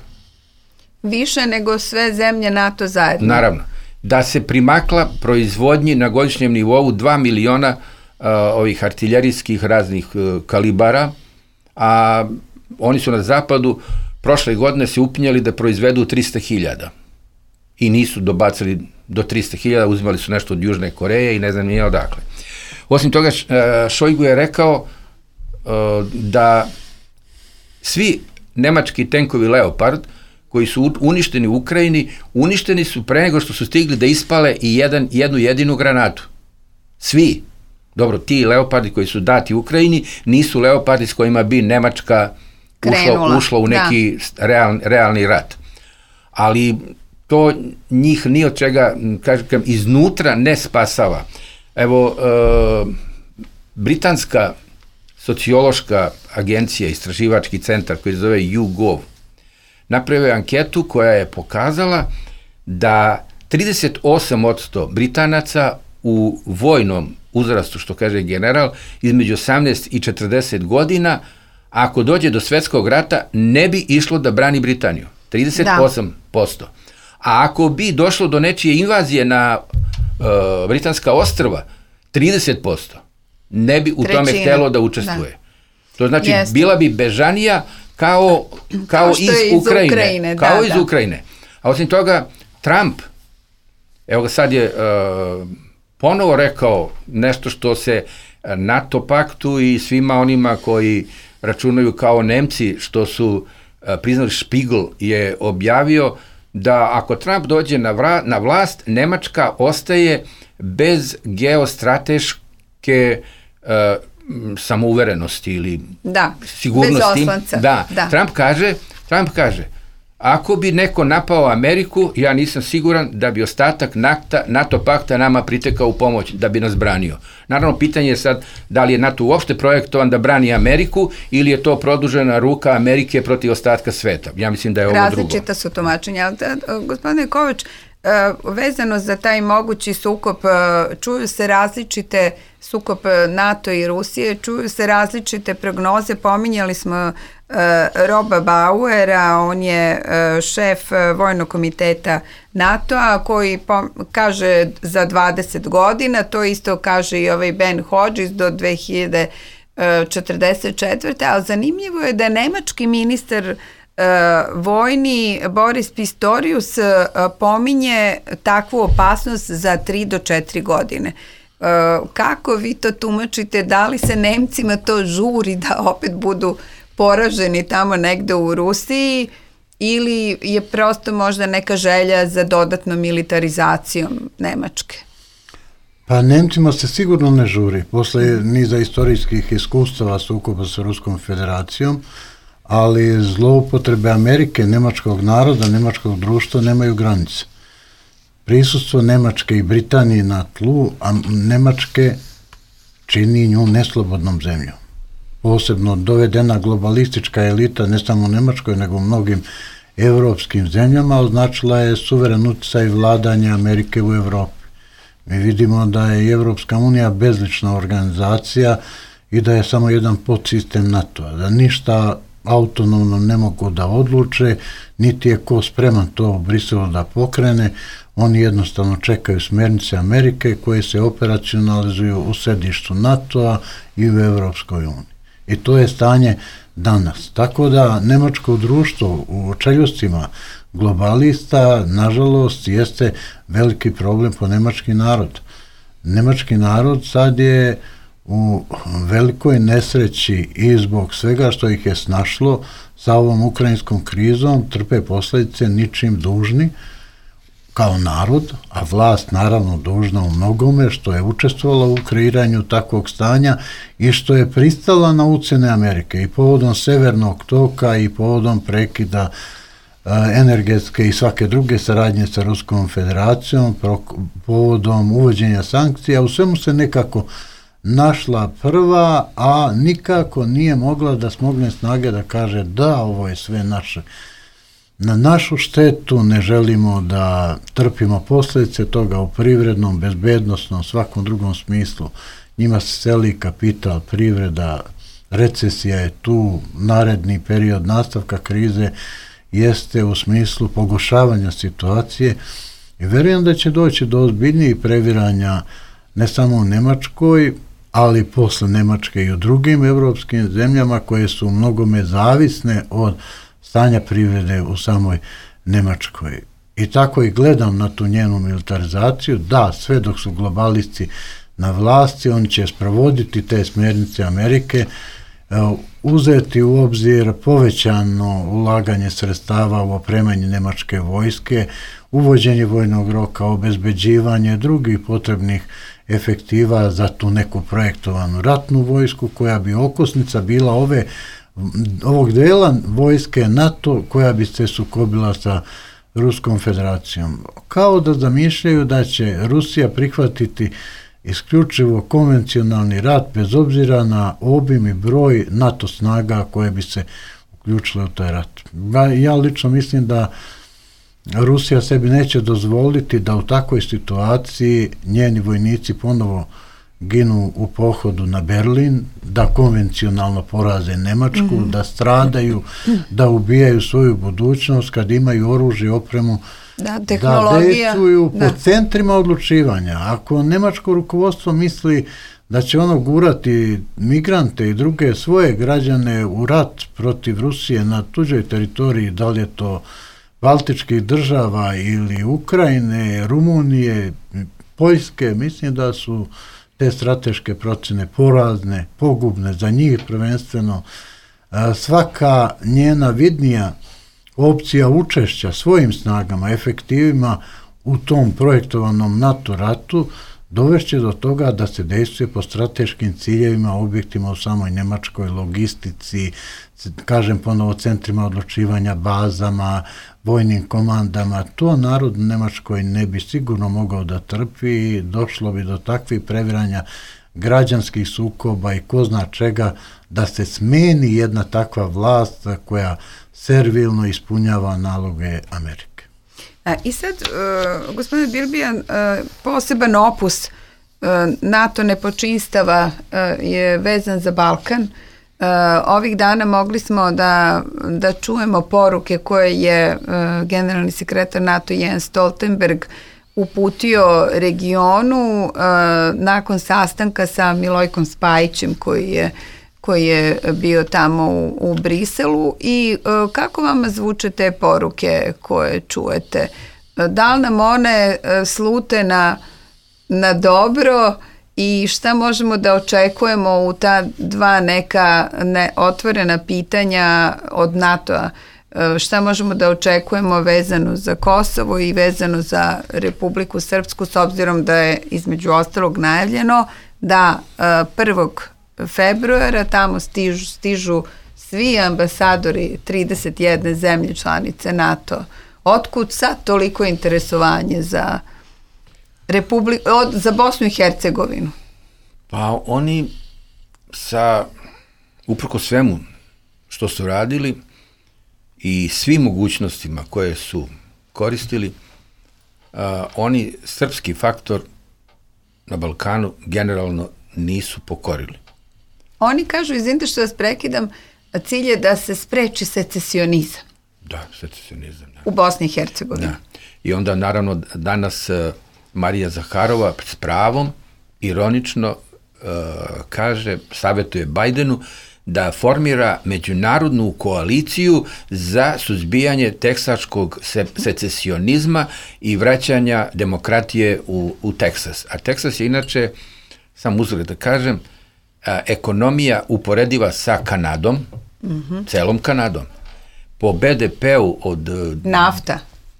Više nego sve zemlje NATO zajedno. Naravno. Da se primakla proizvodnji na godišnjem nivou 2 miliona ovih artiljerijskih raznih kalibara, a oni su na zapadu prošle godine se upinjali da proizvedu 300.000 i nisu dobacili do 300.000, uzimali su nešto od Južne Koreje i ne znam nije odakle. Osim toga, Šojgu je rekao da svi nemački tenkovi Leopard koji su uništeni u Ukrajini, uništeni su pre nego što su stigli da ispale i jednu jedinu granatu. Svi. Dobro, ti Leopardi koji su dati Ukrajini nisu Leopardi s kojima bi Nemačka ušla u neki realni rat. Ali to njih ni od čega, kažem, iznutra ne spasava. Evo, britanska sociološka agencija, istraživački centar koji se zove YouGov, napravio je anketu koja je pokazala da 38% Britanaca u vojnom uzrastu, što kaže general, između 18 i 40 godina, ako dođe do svetskog rata, ne bi išlo da brani Britaniju. 38%. A ako bi došlo do nečije invazije na britanska ostrva, 30%. Ne bi u tome htelo da učestvuje. Da. To znači, bila bi bežanija kao iz Ukrajine. Kao iz Ukrajine. A osim toga, Trump, evo ga sad je ponovo rekao nešto što se NATO paktu i svima onima koji računaju kao Nemci, što su priznali, Spiegel je objavio da ako Trump dođe na vlast, Nemačka ostaje bez geostrateške samouverenosti ili sigurnosti. Bez oslanca. Da. Trump kaže, ako bi neko napao Ameriku, ja nisam siguran da bi ostatak NATO pakta nama pritekao u pomoć, da bi nas branio. Naravno, pitanje je sad da li je NATO uopšte projektovan da brani Ameriku ili je to produžena ruka Amerike protiv ostatka sveta. Ja mislim da je ovo drugo. Različita su tumačenja. Gospodine Kovač, vezano za taj mogući sukob, čuju se različite sukob NATO i Rusije, čuju se različite prognoze, pominjali smo Roba Bauera, on je šef vojnog komiteta NATO-a koji kaže za 20 godina, to isto kaže i ovaj Ben Hodges do 2044. Ali zanimljivo je da je nemački ministar vojni Boris Pistorius pominje takvu opasnost za 3 do 4 godine. Kako vi to tumačite? Da li se Nemcima to žuri da opet budu poraženi tamo negde u Rusiji ili je prosto možda neka želja za dodatnom militarizacijom Nemačke? Pa Nemcima se sigurno ne žuri. Posle niza istorijskih iskustava sukoba sa Ruskom federacijom, ali zloupotrebe Amerike, nemačkog naroda, nemačkog društva nemaju granice. Prisustvo Nemačke i Britanije na tlu, a Nemačke čini nju neslobodnom zemljom. Posebno dovedena globalistička elita, ne samo u Nemačkoj, nego u mnogim evropskim zemljama, označila je suveren uticaj vladanja Amerike u Evropi. Mi vidimo da je Evropska unija bezlična organizacija i da je samo jedan podsistem NATO-a, da ništa autonomno ne mogu da odluče, niti je ko spreman to u Briselu da pokrene, oni jednostavno čekaju smernice Amerike koje se operacionalizuju u sedištu NATO-a i u Evropskoj uniji. I to je stanje danas. Tako da nemačko društvo u čeljostima globalista, nažalost, jeste veliki problem po nemački narod. Nemački narod sad je u velikoj nesreći i zbog svega što ih je snašlo sa ovom ukrajinskom krizom, trpe posljedice ničim dužni kao narod, a vlast naravno dužna u mnogome što je učestvovala u kreiranju takvog stanja i što je pristala na ucene Amerike i povodom Severnog toka i povodom prekida energetske i svake druge saradnje sa Ruskom federacijom, povodom uvođenja sankcija, u svemu se nekako našla prva, a nikako nije mogla da smogne snage da kaže da, ovo je sve naše. Na našu štetu, ne želimo da trpimo posljedice toga u privrednom, bezbednosnom, svakom drugom smislu. Njima se seli kapital, privreda, recesija je tu, naredni period nastavka krize jeste u smislu pogoršavanja situacije i verujem da će doći do ozbiljnijih previranja ne samo u Nemačkoj, ali posle Nemačke i u drugim evropskim zemljama koje su mnogome zavisne od stanja privrede u samoj Nemačkoj. i tako i gledam na tu njenu militarizaciju. Da, sve dok su globalisti na vlasti, oni će sprovoditi te smjernice Amerike, uzeti u obzir povećano ulaganje sredstava u opremanje nemačke vojske, uvođenje vojnog roka, obezbeđivanje drugih potrebnih efektiva za tu neku projektovanu ratnu vojsku koja bi okosnica bila ovog dela vojske NATO koja bi se sukobila sa Ruskom federacijom. Kao da zamišljaju da će Rusija prihvatiti isključivo konvencionalni rat bez obzira na obim i broj NATO snaga koje bi se uključile u taj rat. Ja lično mislim da Rusija sebi neće dozvoliti da u takvoj situaciji njeni vojnici ponovo ginu u pohodu na Berlin, da konvencionalno poraze Nemačku, da stradaju, da ubijaju svoju budućnost kad imaju oružje, opremu, da dejstvuju po centrima odlučivanja. Ako nemačko rukovodstvo misli da će ono gurati migrante i druge svoje građane u rat protiv Rusije na tuđoj teritoriji, da li je to Baltičkih država ili Ukrajine, Rumunije, Poljske, mislim da su te strateške procjene porazne, pogubne za njih prvenstveno. Svaka njena vidnija opcija učešća svojim snagama, efektivima u tom projektovanom NATO ratu dovešće do toga da se dejstvuje po strateškim ciljevima, objektima u samoj Nemačkoj, logistici, kažem ponovo centrima odlučivanja, bazama, vojnim komandama. To narod u Nemačkoj ne bi sigurno mogao da trpi, došlo bi do takvih previranja građanskih sukoba i ko zna čega, da se smeni jedna takva vlast koja servilno ispunjava naloge Amerike. I sad, gospodine Bilbijan, poseban opus NATO nepočinstava je vezan za Balkan. Ovih dana mogli smo da čujemo poruke koje je generalni sekretar NATO Jens Stoltenberg uputio regionu nakon sastanka sa Milojkom Spajićem koji je bio tamo u Briselu. I kako vama zvuče te poruke koje čujete? Da li nam one slute na dobro i šta možemo da očekujemo u ta dva neka otvorena pitanja od NATO-a? Šta možemo da očekujemo vezano za Kosovo i vezano za Republiku Srpsku, s obzirom da je između ostalog najavljeno da 1. februara tamo stižu svi ambasadori 31 zemlje članice NATO. Otkud sad toliko interesovanje za za Bosnu i Hercegovinu? Pa oni uprko svemu što su radili i svim mogućnostima koje su koristili, oni srpski faktor na Balkanu generalno nisu pokorili. Oni kažu, izvinite što vas prekidam, cilj je da se spreči secesionizam. Da, secesionizam. Da. U Bosni i Hercegovini. Da. I onda naravno danas Marija Zaharova s pravom ironično savjetuje Bajdenu da formira međunarodnu koaliciju za suzbijanje teksaškog secesionizma i vraćanja demokratije u Teksas. A Teksas je inače, sam uzgled da kažem, ekonomija uporediva sa Kanadom, celom Kanadom. Po BDP-u od... Nafta.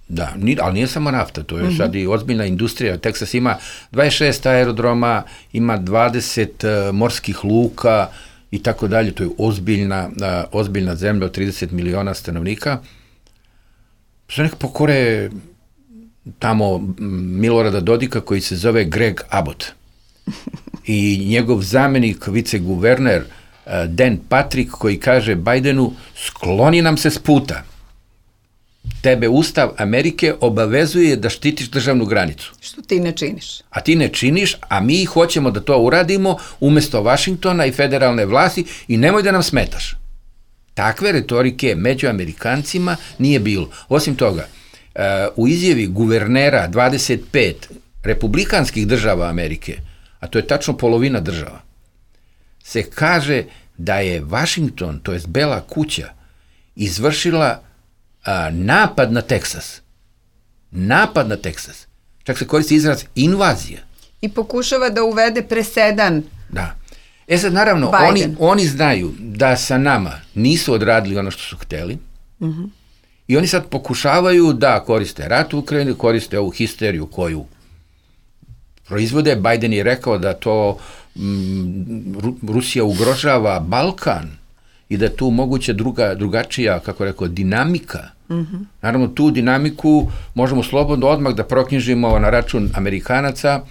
Da, ali nije samo nafta, to je sad i ozbiljna industrija. Teksas ima 26 aerodroma, ima 20 morskih luka i tako dalje. To je ozbiljna zemlja od 30 miliona stanovnika. Što nek pokore tamo Milorada Dodika koji se zove Greg Abbott. I njegov zamenik, viceguverner Dan Patrick, koji kaže Bajdenu, skloni nam se s puta. Tebe Ustav Amerike obavezuje da štitiš državnu granicu. Što ti ne činiš? A ti ne činiš, a mi hoćemo da to uradimo umjesto Vašingtona i federalne vlasti i nemoj da nam smetaš. Takve retorike među Amerikancima nije bilo. Osim toga, u izjavi guvernera 25 republikanskih država Amerike, a to je tačno polovina država, se kaže da je Vašington, to jest Bela kuća, izvršila napad na Teksas. napad na Teksas. Čak se koristi izraz invazija. I pokušava da uvede presedan. Da. Sad, naravno, oni znaju da sa nama nisu odradili ono što su hteli i oni sad pokušavaju da koriste rat u Ukrajini, koriste ovu histeriju koju proizvode. Biden je rekao da to Rusija ugrožava Balkan i da je tu moguće drugačija, kako rekao, dinamika. Naravno, tu dinamiku možemo slobodno odmah da proknjižimo na račun Amerikanaca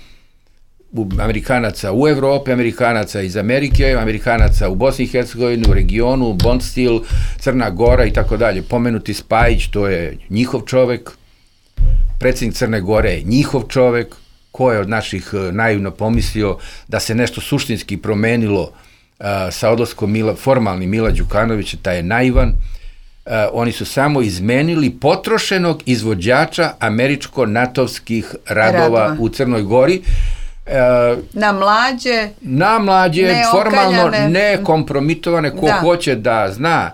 u Evropi, Amerikanaca iz Amerike, Amerikanaca u Bosni i Hercegovini, u regionu, Bondstil, Crna Gora i tako dalje. Pomenuti Spajić, to je njihov čovek, predsjednik Crne Gore je njihov čovek, ko je od naših naivno pomislio da se nešto suštinski promenilo sa odlaskom formalni Mila Đukanovića, taj je naivan. Oni su samo izmenili potrošenog izvođača američko-natovskih radova u Crnoj Gori. Na mlađe, formalno nekompromitovane, ko hoće da zna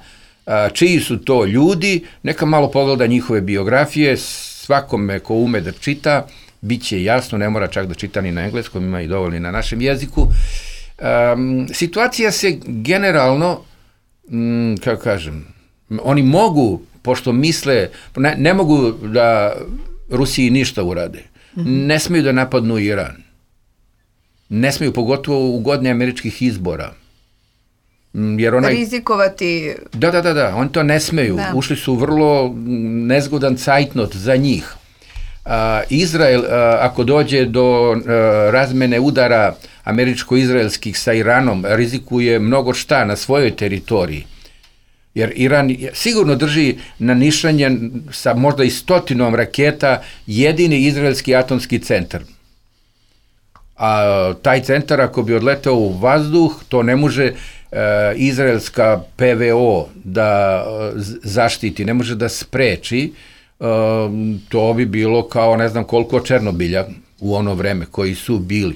čiji su to ljudi, neka malo pogleda njihove biografije, svakome ko ume da čita, bit će jasno, ne mora čak da čita ni na engleskom, ima i dovoljno na našem jeziku. Situacija se generalno, kako kažem, oni mogu, pošto misle, ne mogu da Rusiji ništa urade, ne smiju da napadnu Iran, ne smiju, pogotovo u godini američkih izbora. Rizikovati. Da, oni to ne smeju. Ušli su vrlo nezgodan cajtnot za njih. Izrael, ako dođe do razmene udara američko-izraelskih sa Iranom, rizikuje mnogo šta na svojoj teritoriji. Jer Iran sigurno drži na nišanje sa možda i 100 raketa jedini izraelski atomski centar. A taj centar, ako bi odletao u vazduh, to ne može izraelska PVO da zaštiti, ne može da spreči. To bi bilo kao ne znam koliko Černobilja u ono vreme koji su bili.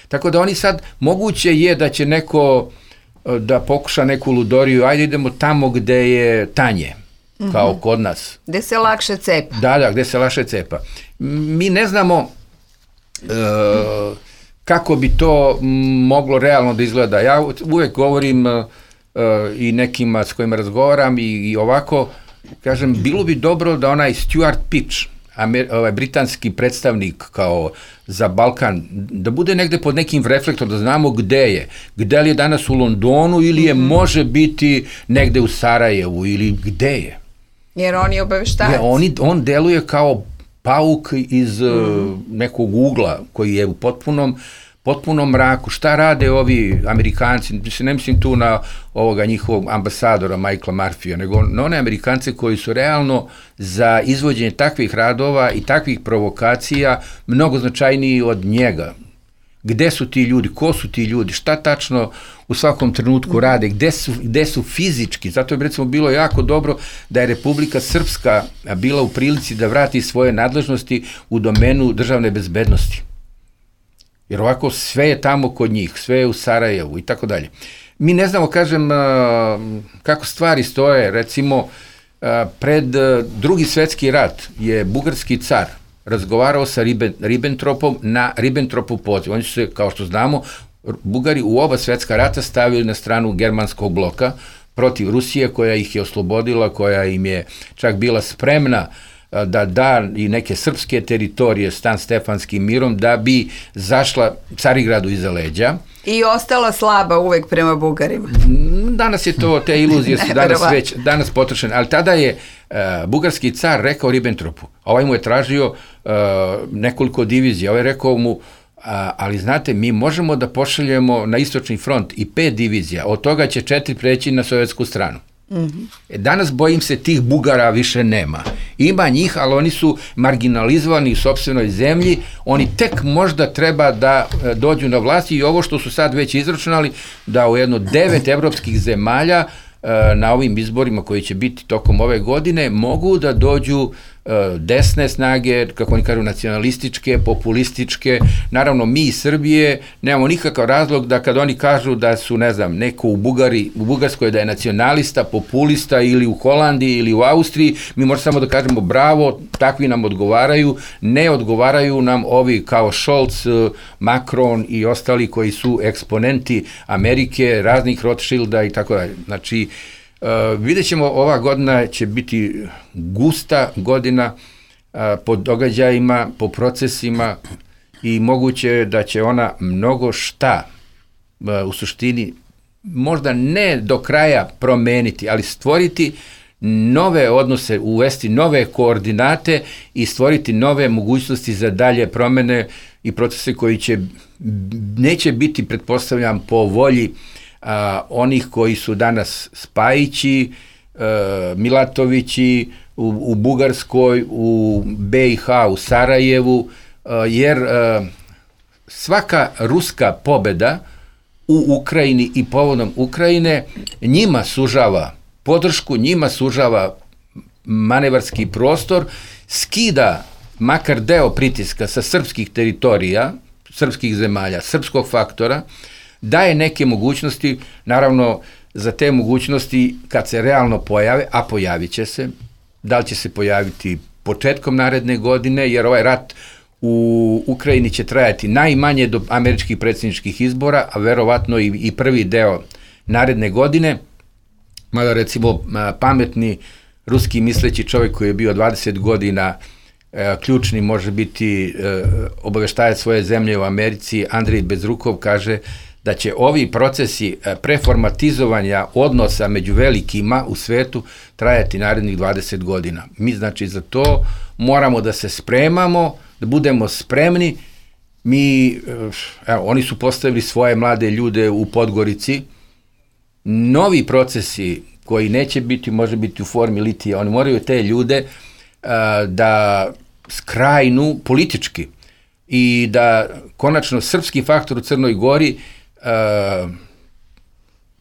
Tako da oni sad, moguće je da će neko da pokuša neku ludoriju, ajde idemo tamo gde je tanje, kao kod nas. Gde se lakše cepa. Da, gde se lakše cepa. Mi ne znamo kako bi to moglo realno da izgleda. Ja uvek govorim i nekima s kojima razgovaram i ovako, kažem, bilo bi dobro da onaj Stuart Pitch, britanski predstavnik kao za Balkan, da bude negde pod nekim reflektorom, da znamo gde je. Gde li je danas u Londonu ili je može biti negde u Sarajevu ili gde je. Jer on je obaveštavac. On deluje kao pauk iz nekog ugla koji je u potpunom mraku. Šta rade ovi Amerikanci? Ne mislim tu na ovoga njihovog ambasadora Michaela Murphyja, nego na one Amerikance koji su realno za izvođenje takvih radova i takvih provokacija mnogo značajniji od njega. Gde su ti ljudi? Ko su ti ljudi? Šta tačno u svakom trenutku rade? Gde su fizički? Zato je recimo bilo jako dobro da je Republika Srpska bila u prilici da vrati svoje nadležnosti u domenu državne bezbednosti. Jer ovako sve je tamo kod njih, sve je u Sarajevu i tako dalje. Mi ne znamo, kažem, kako stvari stoje. Recimo, pred Drugi svetski rat je bugarski car razgovarao sa Ribbentropom na Ribbentropov poziv. Oni su se, kao što znamo, Bugari u oba svetska rata stavili na stranu germanskog bloka protiv Rusije, koja ih je oslobodila, koja im je čak bila spremna da da i neke srpske teritorije Stan Stefanskim mirom da bi zašla Carigradu iza leđa. I ostala slaba uvek prema Bugarima. Danas je to, te iluzije su danas potrošene, ali tada je bugarski car rekao Ribbentropu, a ovaj mu je tražio nekoliko divizija, ovaj rekao mu, ali znate, mi možemo da pošaljemo na istočni front i 5 divizija, od toga će 4 preći na sovjetsku stranu. Danas, bojim se, tih Bugara više nema. Ima njih, ali oni su marginalizovani u sopstvenoj zemlji, oni tek možda treba da dođu na vlast i ovo što su sad već izračunali, da u jedno 9 evropskih zemalja na ovim izborima koji će biti tokom ove godine mogu da dođu desne snage, kako oni kažu, nacionalističke, populističke. Naravno, mi iz Srbije nemamo nikakav razlog da kad oni kažu da su, ne znam, neko u Bugarskoj da je nacionalista, populista ili u Holandiji ili u Austriji, mi možemo samo da kažemo bravo, takvi nam odgovaraju, ne odgovaraju nam ovi kao Scholz, Macron i ostali koji su eksponenti Amerike, raznih Rothschilda i tako dalje. Znači, vidjet ćemo, ova godina će biti gusta godina po događajima, po procesima i moguće da će ona mnogo šta u suštini možda ne do kraja promeniti, ali stvoriti nove odnose, uvesti nove koordinate i stvoriti nove mogućnosti za dalje promene i procese koji neće biti, pretpostavljam, po volji onih koji su danas Spajići, Milatovići u Bugarskoj, u BiH, u Sarajevu, jer svaka ruska pobeda u Ukrajini i povodom Ukrajine njima sužava podršku, njima sužava manevarski prostor, skida makar deo pritiska sa srpskih teritorija, srpskih zemalja, srpskog faktora, daje neke mogućnosti, naravno za te mogućnosti kad se realno pojave, a pojavit će se, da li će se pojaviti početkom naredne godine, jer ovaj rat u Ukrajini će trajati najmanje do američkih predsjedničkih izbora, a verovatno i prvi deo naredne godine, mada recimo pametni ruski misleći čovjek koji je bio 20 godina ključni, može biti obaveštajac svoje zemlje u Americi, Andrej Bezrukov, kaže da će ovi procesi preformatizovanja odnosa među velikima u svetu trajati narednih 20 godina. Mi znači za to moramo da se spremamo, da budemo spremni. Oni su postavili svoje mlade ljude u Podgorici. Novi procesi koji neće biti, može biti u formi litija, oni moraju te ljude da skrajnu politički i da konačno srpski faktor u Crnoj Gori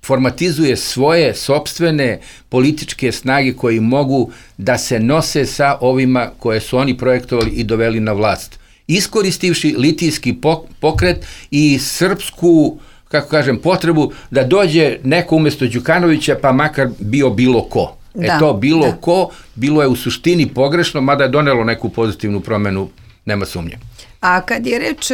formatizuje svoje sopstvene političke snage koji mogu da se nose sa ovima koje su oni projektovali i doveli na vlast. Iskoristivši litijski pokret i srpsku, kako kažem, potrebu da dođe neko umjesto Đukanovića, pa makar bio bilo ko. Ko, bilo je u suštini pogrešno, mada je donelo neku pozitivnu promenu, nema sumnje. A kad je reč,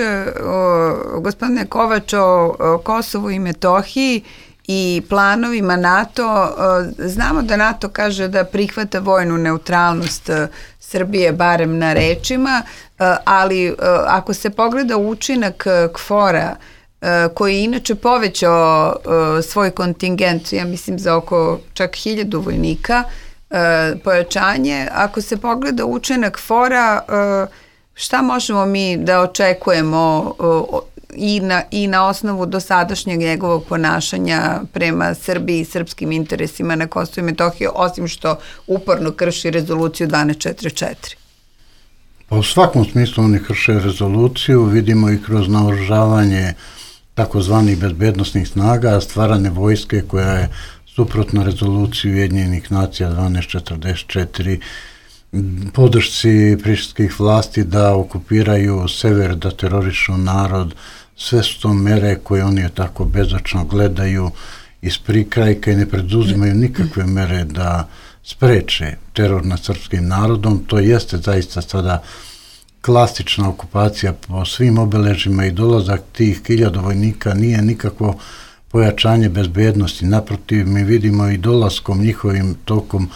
gospodine Kovač, o Kosovu i Metohiji i planovima NATO, znamo da NATO kaže da prihvata vojnu neutralnost Srbije, barem na rečima, ali ako se pogleda učinak KFOR-a, koji je inače povećao svoj kontingent, ja mislim za oko čak 1000 vojnika, pojačanje, ako se pogleda učinak KFOR-a, šta možemo mi da očekujemo i na osnovu dosadašnjeg njegovog ponašanja prema Srbiji i srpskim interesima na Kosovu i Metohiji, osim što uporno krši rezoluciju 1244? Pa u svakom smislu oni krše rezoluciju, vidimo i kroz naoružavanje takozvanih bezbednosnih snaga, stvarane vojske koja je suprotna rezoluciji Ujedinjenih nacija 1244, podršci prištinskih vlasti da okupiraju sever, da terorišu narod, sve su to mere koje oni tako bezočno gledaju iz prikrajka i ne preduzimaju nikakve mere da spreče teror nad srpskim narodom. To jeste zaista sada klasična okupacija po svim obeležima i dolazak tih 1000 vojnika nije nikakvo pojačanje bezbednosti. Naprotiv, mi vidimo i dolaskom njihovim tokom,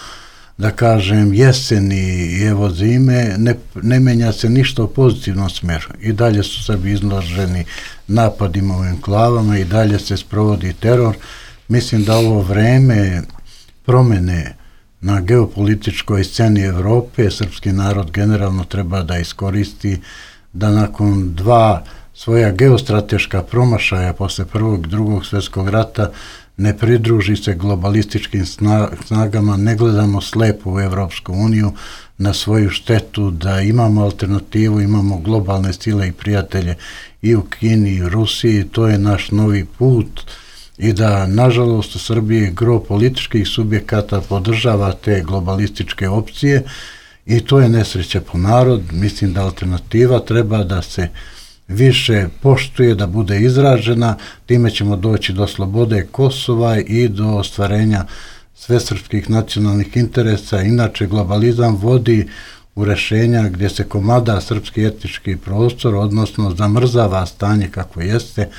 da kažem, jeseni i evo zime, ne menja se ništa u pozitivnom smeru. I dalje su Srbi izloženi napadima u enklavama i dalje se sprovodi teror. Mislim da ovo vreme promene na geopolitičkoj sceni Evrope srpski narod generalno treba da iskoristi, da nakon dva svoja geostrateška promašaja posle Prvog i Drugog svjetskog rata ne pridruži se globalističkim snagama, ne gledamo slepo u Evropsku uniju na svoju štetu, da imamo alternativu, imamo globalne sile i prijatelje i u Kini i u Rusiji, to je naš novi put i da, nažalost, u Srbiji gro političkih subjekata podržava te globalističke opcije i to je nesreća po narod. Mislim da alternativa treba da se više poštuje, da bude izražena, time ćemo doći do slobode Kosova i do ostvarenja svesrpskih nacionalnih interesa. Inače, globalizam vodi u rešenja gdje se komada srpski etnički prostor, odnosno zamrzava stanje kako jeste.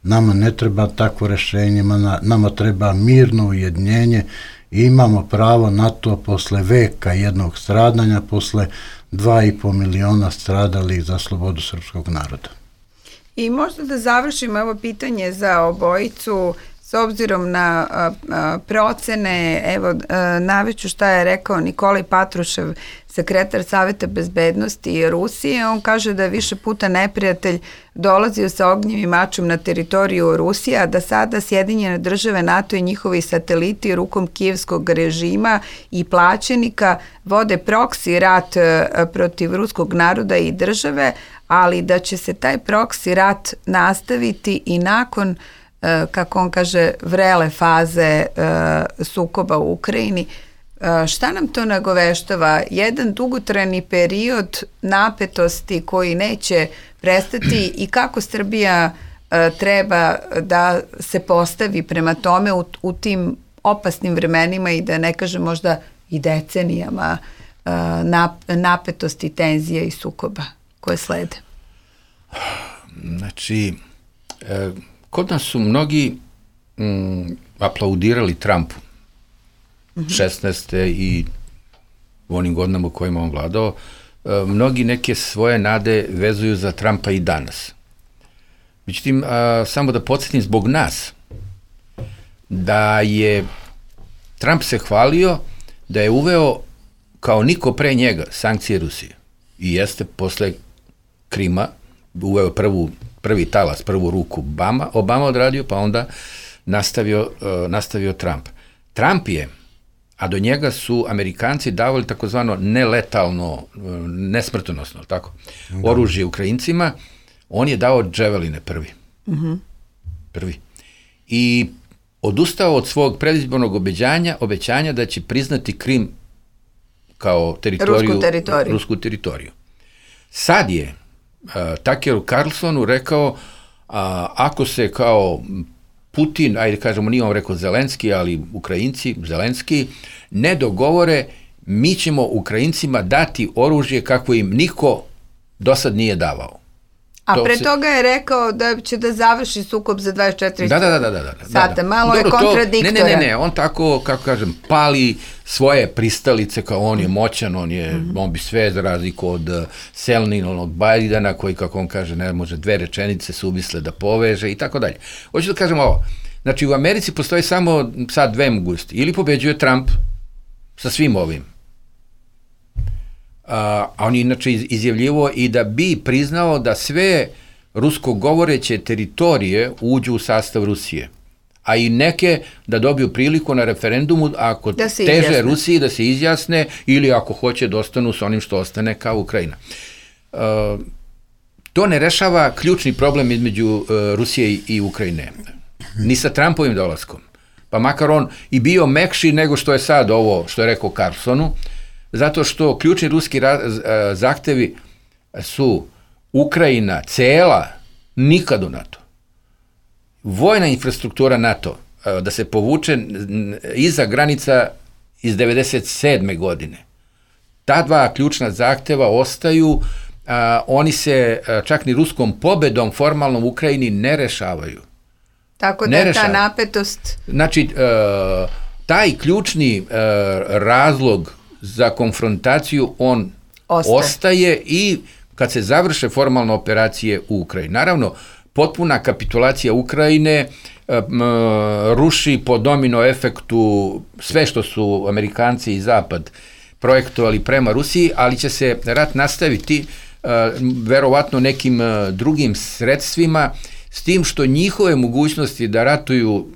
Nama ne treba takvo rešenje, nama treba mirno ujedinjenje i imamo pravo na to posle veka jednog stradanja, posle 2,5 miliona stradalih za slobodu srpskog naroda. I možda da završimo ovo pitanje za obojicu, s obzirom na procene, evo naveću šta je rekao Nikolaj Patrušev, sekretar Saveta bezbednosti Rusije. On kaže da je više puta neprijatelj dolazio sa ognjem i mačom na teritoriju Rusije, a da sada Sjedinjene države, NATO i njihovi sateliti rukom kijevskog režima i plaćenika vode proksi rat protiv ruskog naroda i države, ali da će se taj proksi rat nastaviti i nakon, kako on kaže, vrele faze sukoba u Ukrajini. Šta nam to nagoveštava? Jedan dugotrajni period napetosti koji neće prestati i kako Srbija treba da se postavi prema tome u tim opasnim vremenima i da ne kažem možda i decenijama napetosti, tenzija i sukoba koje slede? Znači, kod nas su mnogi aplaudirali Trumpu 16. i u onim godinama u kojima on vladao. Mnogi neke svoje nade vezuju za Trumpa i danas. Međutim, samo da podsjetim zbog nas, da je Trump se hvalio da je uveo kao niko pre njega sankcije Rusije. I jeste posle Krima uveo prvi talas, prvu ruku Obama odradio, pa onda nastavio Trump. Trump je, a do njega su Amerikanci davali takozvano neletalno, nesmrtonosno, tako, oružje Ukrajincima, on je dao dževeline prvi. Prvi. I odustao od svog predizbornog obećanja da će priznati Krim kao rusku teritoriju. Sad je Tuckeru Carlsonu rekao, ako se kao Putin, ajde kažemo, nije on rekao Zelenski, ali Ukrajinci, Zelenski, ne dogovore, mi ćemo Ukrajincima dati oružje kako im niko do sad nije davao. A pre toga je rekao da će da završi sukob za 24 sata. Malo dobro, je kontradiktora. Ne, on tako, kako kažem, pali svoje pristalice kao on je moćan, on bi sve za razliku od Selninovog Bajdana koji, kako on kaže, ne može dve rečenice suvisle da poveže i tako dalje. Hoću da kažem ovo, znači u Americi postoji samo sad dve mogućnosti. Ili pobeđuje Trump sa svim ovim, a on je inače izjavljivo i da bi priznao da sve rusko govoreće teritorije uđu u sastav Rusije, a i neke da dobiju priliku na referendumu ako teže Rusiji da se izjasne ili ako hoće da ostanu s onim što ostane kao Ukrajina. To ne rešava ključni problem između Rusije i Ukrajine, ni sa Trumpovim dolaskom, pa makar on i bio mekši nego što je sad ovo što je rekao Carlsonu, zato što ključni ruski zahtevi su Ukrajina cela, nikad u NATO. Vojna infrastruktura NATO, da se povuče iza granica iz 97. godine. Ta dva ključna zahteva ostaju, oni se čak ni ruskom pobedom formalnom u Ukrajini ne rešavaju. Tako da je ta napetost... Znači, taj ključni razlog za konfrontaciju on ostaje i kad se završe formalne operacije u Ukrajini. Naravno, potpuna kapitulacija Ukrajine ruši po domino efektu sve što su Amerikanci i Zapad projektovali prema Rusiji, ali će se rat nastaviti verovatno nekim drugim sredstvima, s tim što njihove mogućnosti da ratuju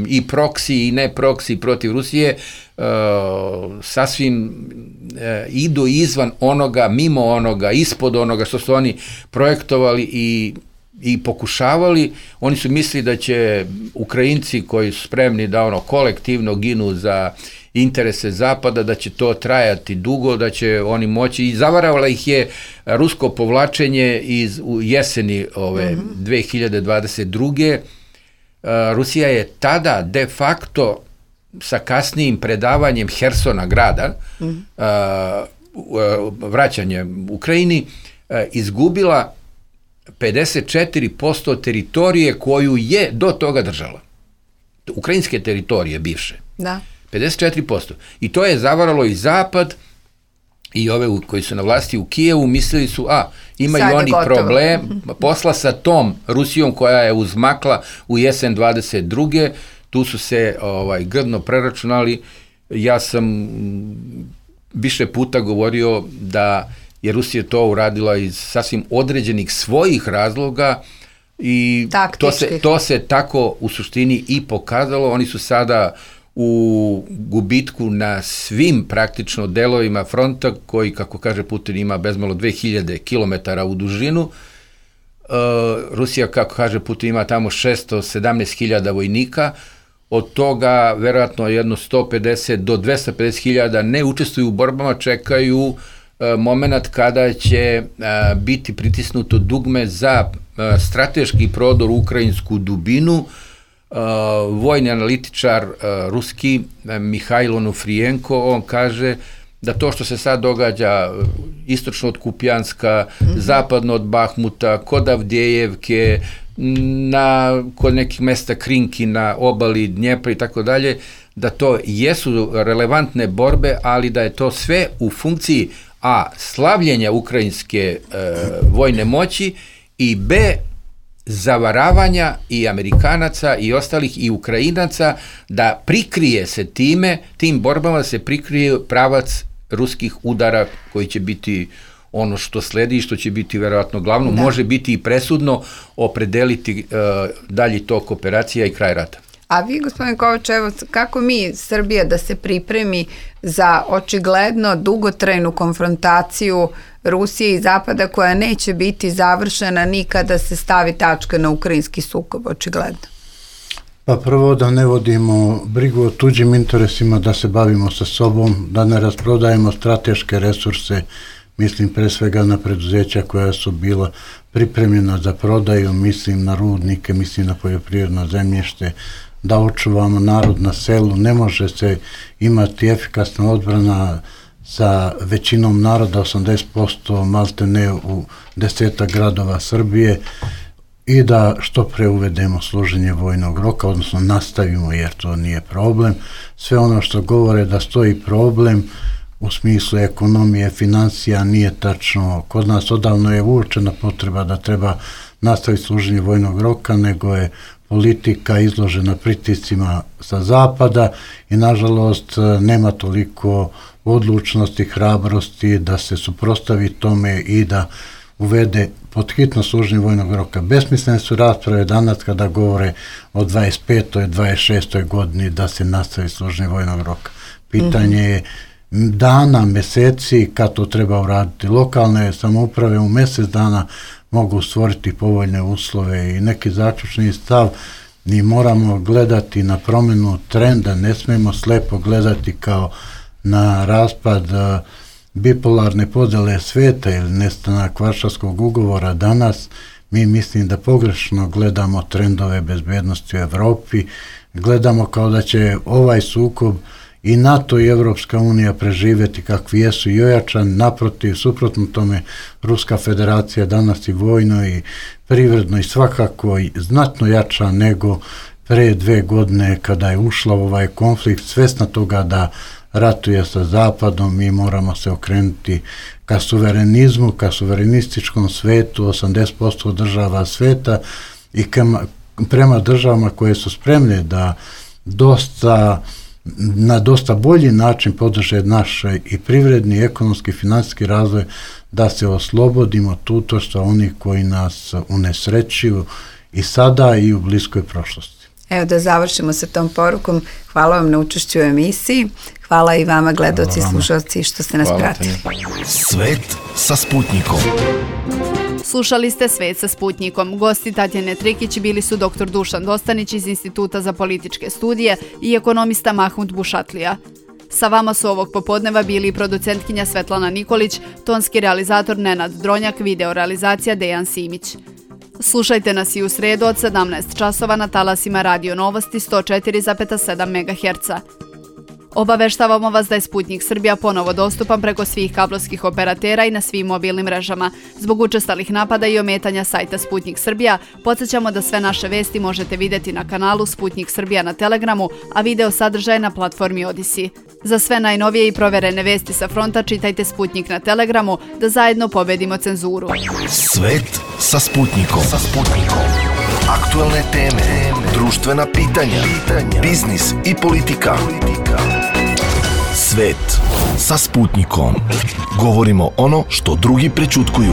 i proksi i ne proksi protiv Rusije sasvim idu izvan onoga, mimo onoga, ispod onoga što su oni projektovali i i pokušavali, oni su mislili da će Ukrajinci koji su spremni da kolektivno ginu za interese Zapada, da će to trajati dugo, da će oni moći, i zavaravalo ih je rusko povlačenje u jeseni 2022. Rusija je tada de facto sa kasnijim predavanjem Hersona grada, vraćanjem Ukrajini, izgubila 54% teritorije koju je do toga držala. Ukrajinske teritorije bivše. Da. 54%. I to je zavaralo i Zapad, i ove koji su na vlasti u Kijevu, mislili su, imaju oni problem, posla sa tom Rusijom koja je uzmakla u jesen 22. Tu su se grdno preračunali. Ja sam više puta govorio da je Rusija to uradila iz sasvim određenih svojih razloga i to se tako u suštini i pokazalo. Oni su sada u gubitku na svim praktično delovima fronta koji, kako kaže Putin, ima bezmalo 2000 km u dužinu. Rusija, kako kaže Putin, ima tamo 617.000 vojnika, od toga verovatno jedno 150 do 250.000 ne učestvuju u borbama, čekaju moment kada će biti pritisnuto dugme za strateški prodor u ukrajinsku dubinu. Vojni analitičar ruski Mihajlo Onufrijenko, on kaže da to što se sad događa istočno od Kupjanska, zapadno od Bahmuta, kod Avdijevke, kod nekih mesta Krinki na obali Dnjepra i tako dalje, da to jesu relevantne borbe, ali da je to sve u funkciji slavljenja ukrajinske vojne moći i zavaravanja i Amerikanaca i ostalih i Ukrajinaca da prikrije se tim borbama, da se prikrije pravac ruskih udara koji će biti ono što sledi i što će biti verovatno glavno, može biti i presudno opredeliti dalji tok operacija i kraj rata. A vi, gospodin Kovač, evo, kako mi, Srbija, da se pripremi za očigledno dugotrajnu konfrontaciju Rusije i Zapada koja neće biti završena ni kada se stavi tačka na ukrajinski sukob, očigledno? Pa prvo da ne vodimo brigu o tuđim interesima, da se bavimo sa sobom, da ne rasprodajemo strateške resurse, mislim pre svega na preduzeća koja su bila pripremljena za prodaju, mislim na rudnike, mislim na poljoprivredno zemljište, da očuvamo narod na selu. Ne može se imati efikasna odbrana sa većinom naroda, 80% malte ne u 10 gradova Srbije, i da što pre uvedemo služenje vojnog roka, odnosno nastavimo, jer to nije problem. Sve ono što govore da stoji problem u smislu ekonomije, financija, nije tačno. Kod nas odavno je uočena potreba da treba nastaviti služenje vojnog roka, nego je politika izložena pritiscima sa zapada i nažalost nema toliko odlučnosti, hrabrosti da se suprotstavi tome i da uvede pod hitno služenje vojnog roka. Besmislene su rasprave danas kada govore o 25. 26. godini da se nastavi služenje vojnog roka. Pitanje je dana, meseci kad to treba uraditi. Lokalne samouprave u mjesec dana mogu stvoriti povoljne uslove i neki zaključni stav. Mi moramo gledati na promjenu trenda, ne smijemo slepo gledati kao na raspad bipolarne podele sveta ili nestanak Varšavskog ugovora danas. Mi mislim da pogrešno gledamo trendove bezbednosti u Evropi, gledamo kao da će ovaj sukob i NATO i Evropska unija preživjeti kakvi jesu i ojačan, naprotiv, suprotno tome, Ruska federacija danas i vojno i privredno i svakako i znatno jača nego pre 2 godine kada je ušla u ovaj konflikt, svesna toga da ratuje sa Zapadom. Mi moramo se okrenuti ka suverenizmu, ka suverenističkom svetu, 80% država sveta i prema državama koje su spremne da na dosta bolji način podrže naš i privredni, ekonomski, financijski razvoj, da se oslobodimo tutorstva onih koji nas unesrećuju i sada i u bliskoj prošlosti. Evo da završimo sa tom porukom. Hvala vam na učešću u emisiji. Hvala i vama, gledaoci i slušalci, što ste nas pratili. Svet sa Sputnikom. Slušali ste Svet sa Sputnikom. Gosti Tatjane Trikić bili su dr. Dušan Dostanić iz Instituta za političke studije i ekonomista Mahmud Bušatlija. Sa vama su ovog popodneva bili producentkinja Svetlana Nikolić, tonski realizator Nenad Dronjak, video realizacija Dejan Simić. Slušajte nas i u sredu od 17 časova na talasima Radio Novosti 104,7 MHz. Obaveštavamo vas da je Sputnik Srbija ponovo dostupan preko svih kablovskih operatera i na svim mobilnim mrežama. Zbog učestalih napada i ometanja sajta Sputnik Srbija, podsjećamo da sve naše vesti možete vidjeti na kanalu Sputnik Srbija na Telegramu, a video sadržaj na platformi Odisi. Za sve najnovije i proverene vesti sa fronta čitajte Sputnik na Telegramu, da zajedno pobedimo cenzuru. Svet sa Sputnikom. Aktualne teme, društvena pitanja, biznis i politika. Svet sa Sputnikom. Govorimo ono što drugi prećutkuju.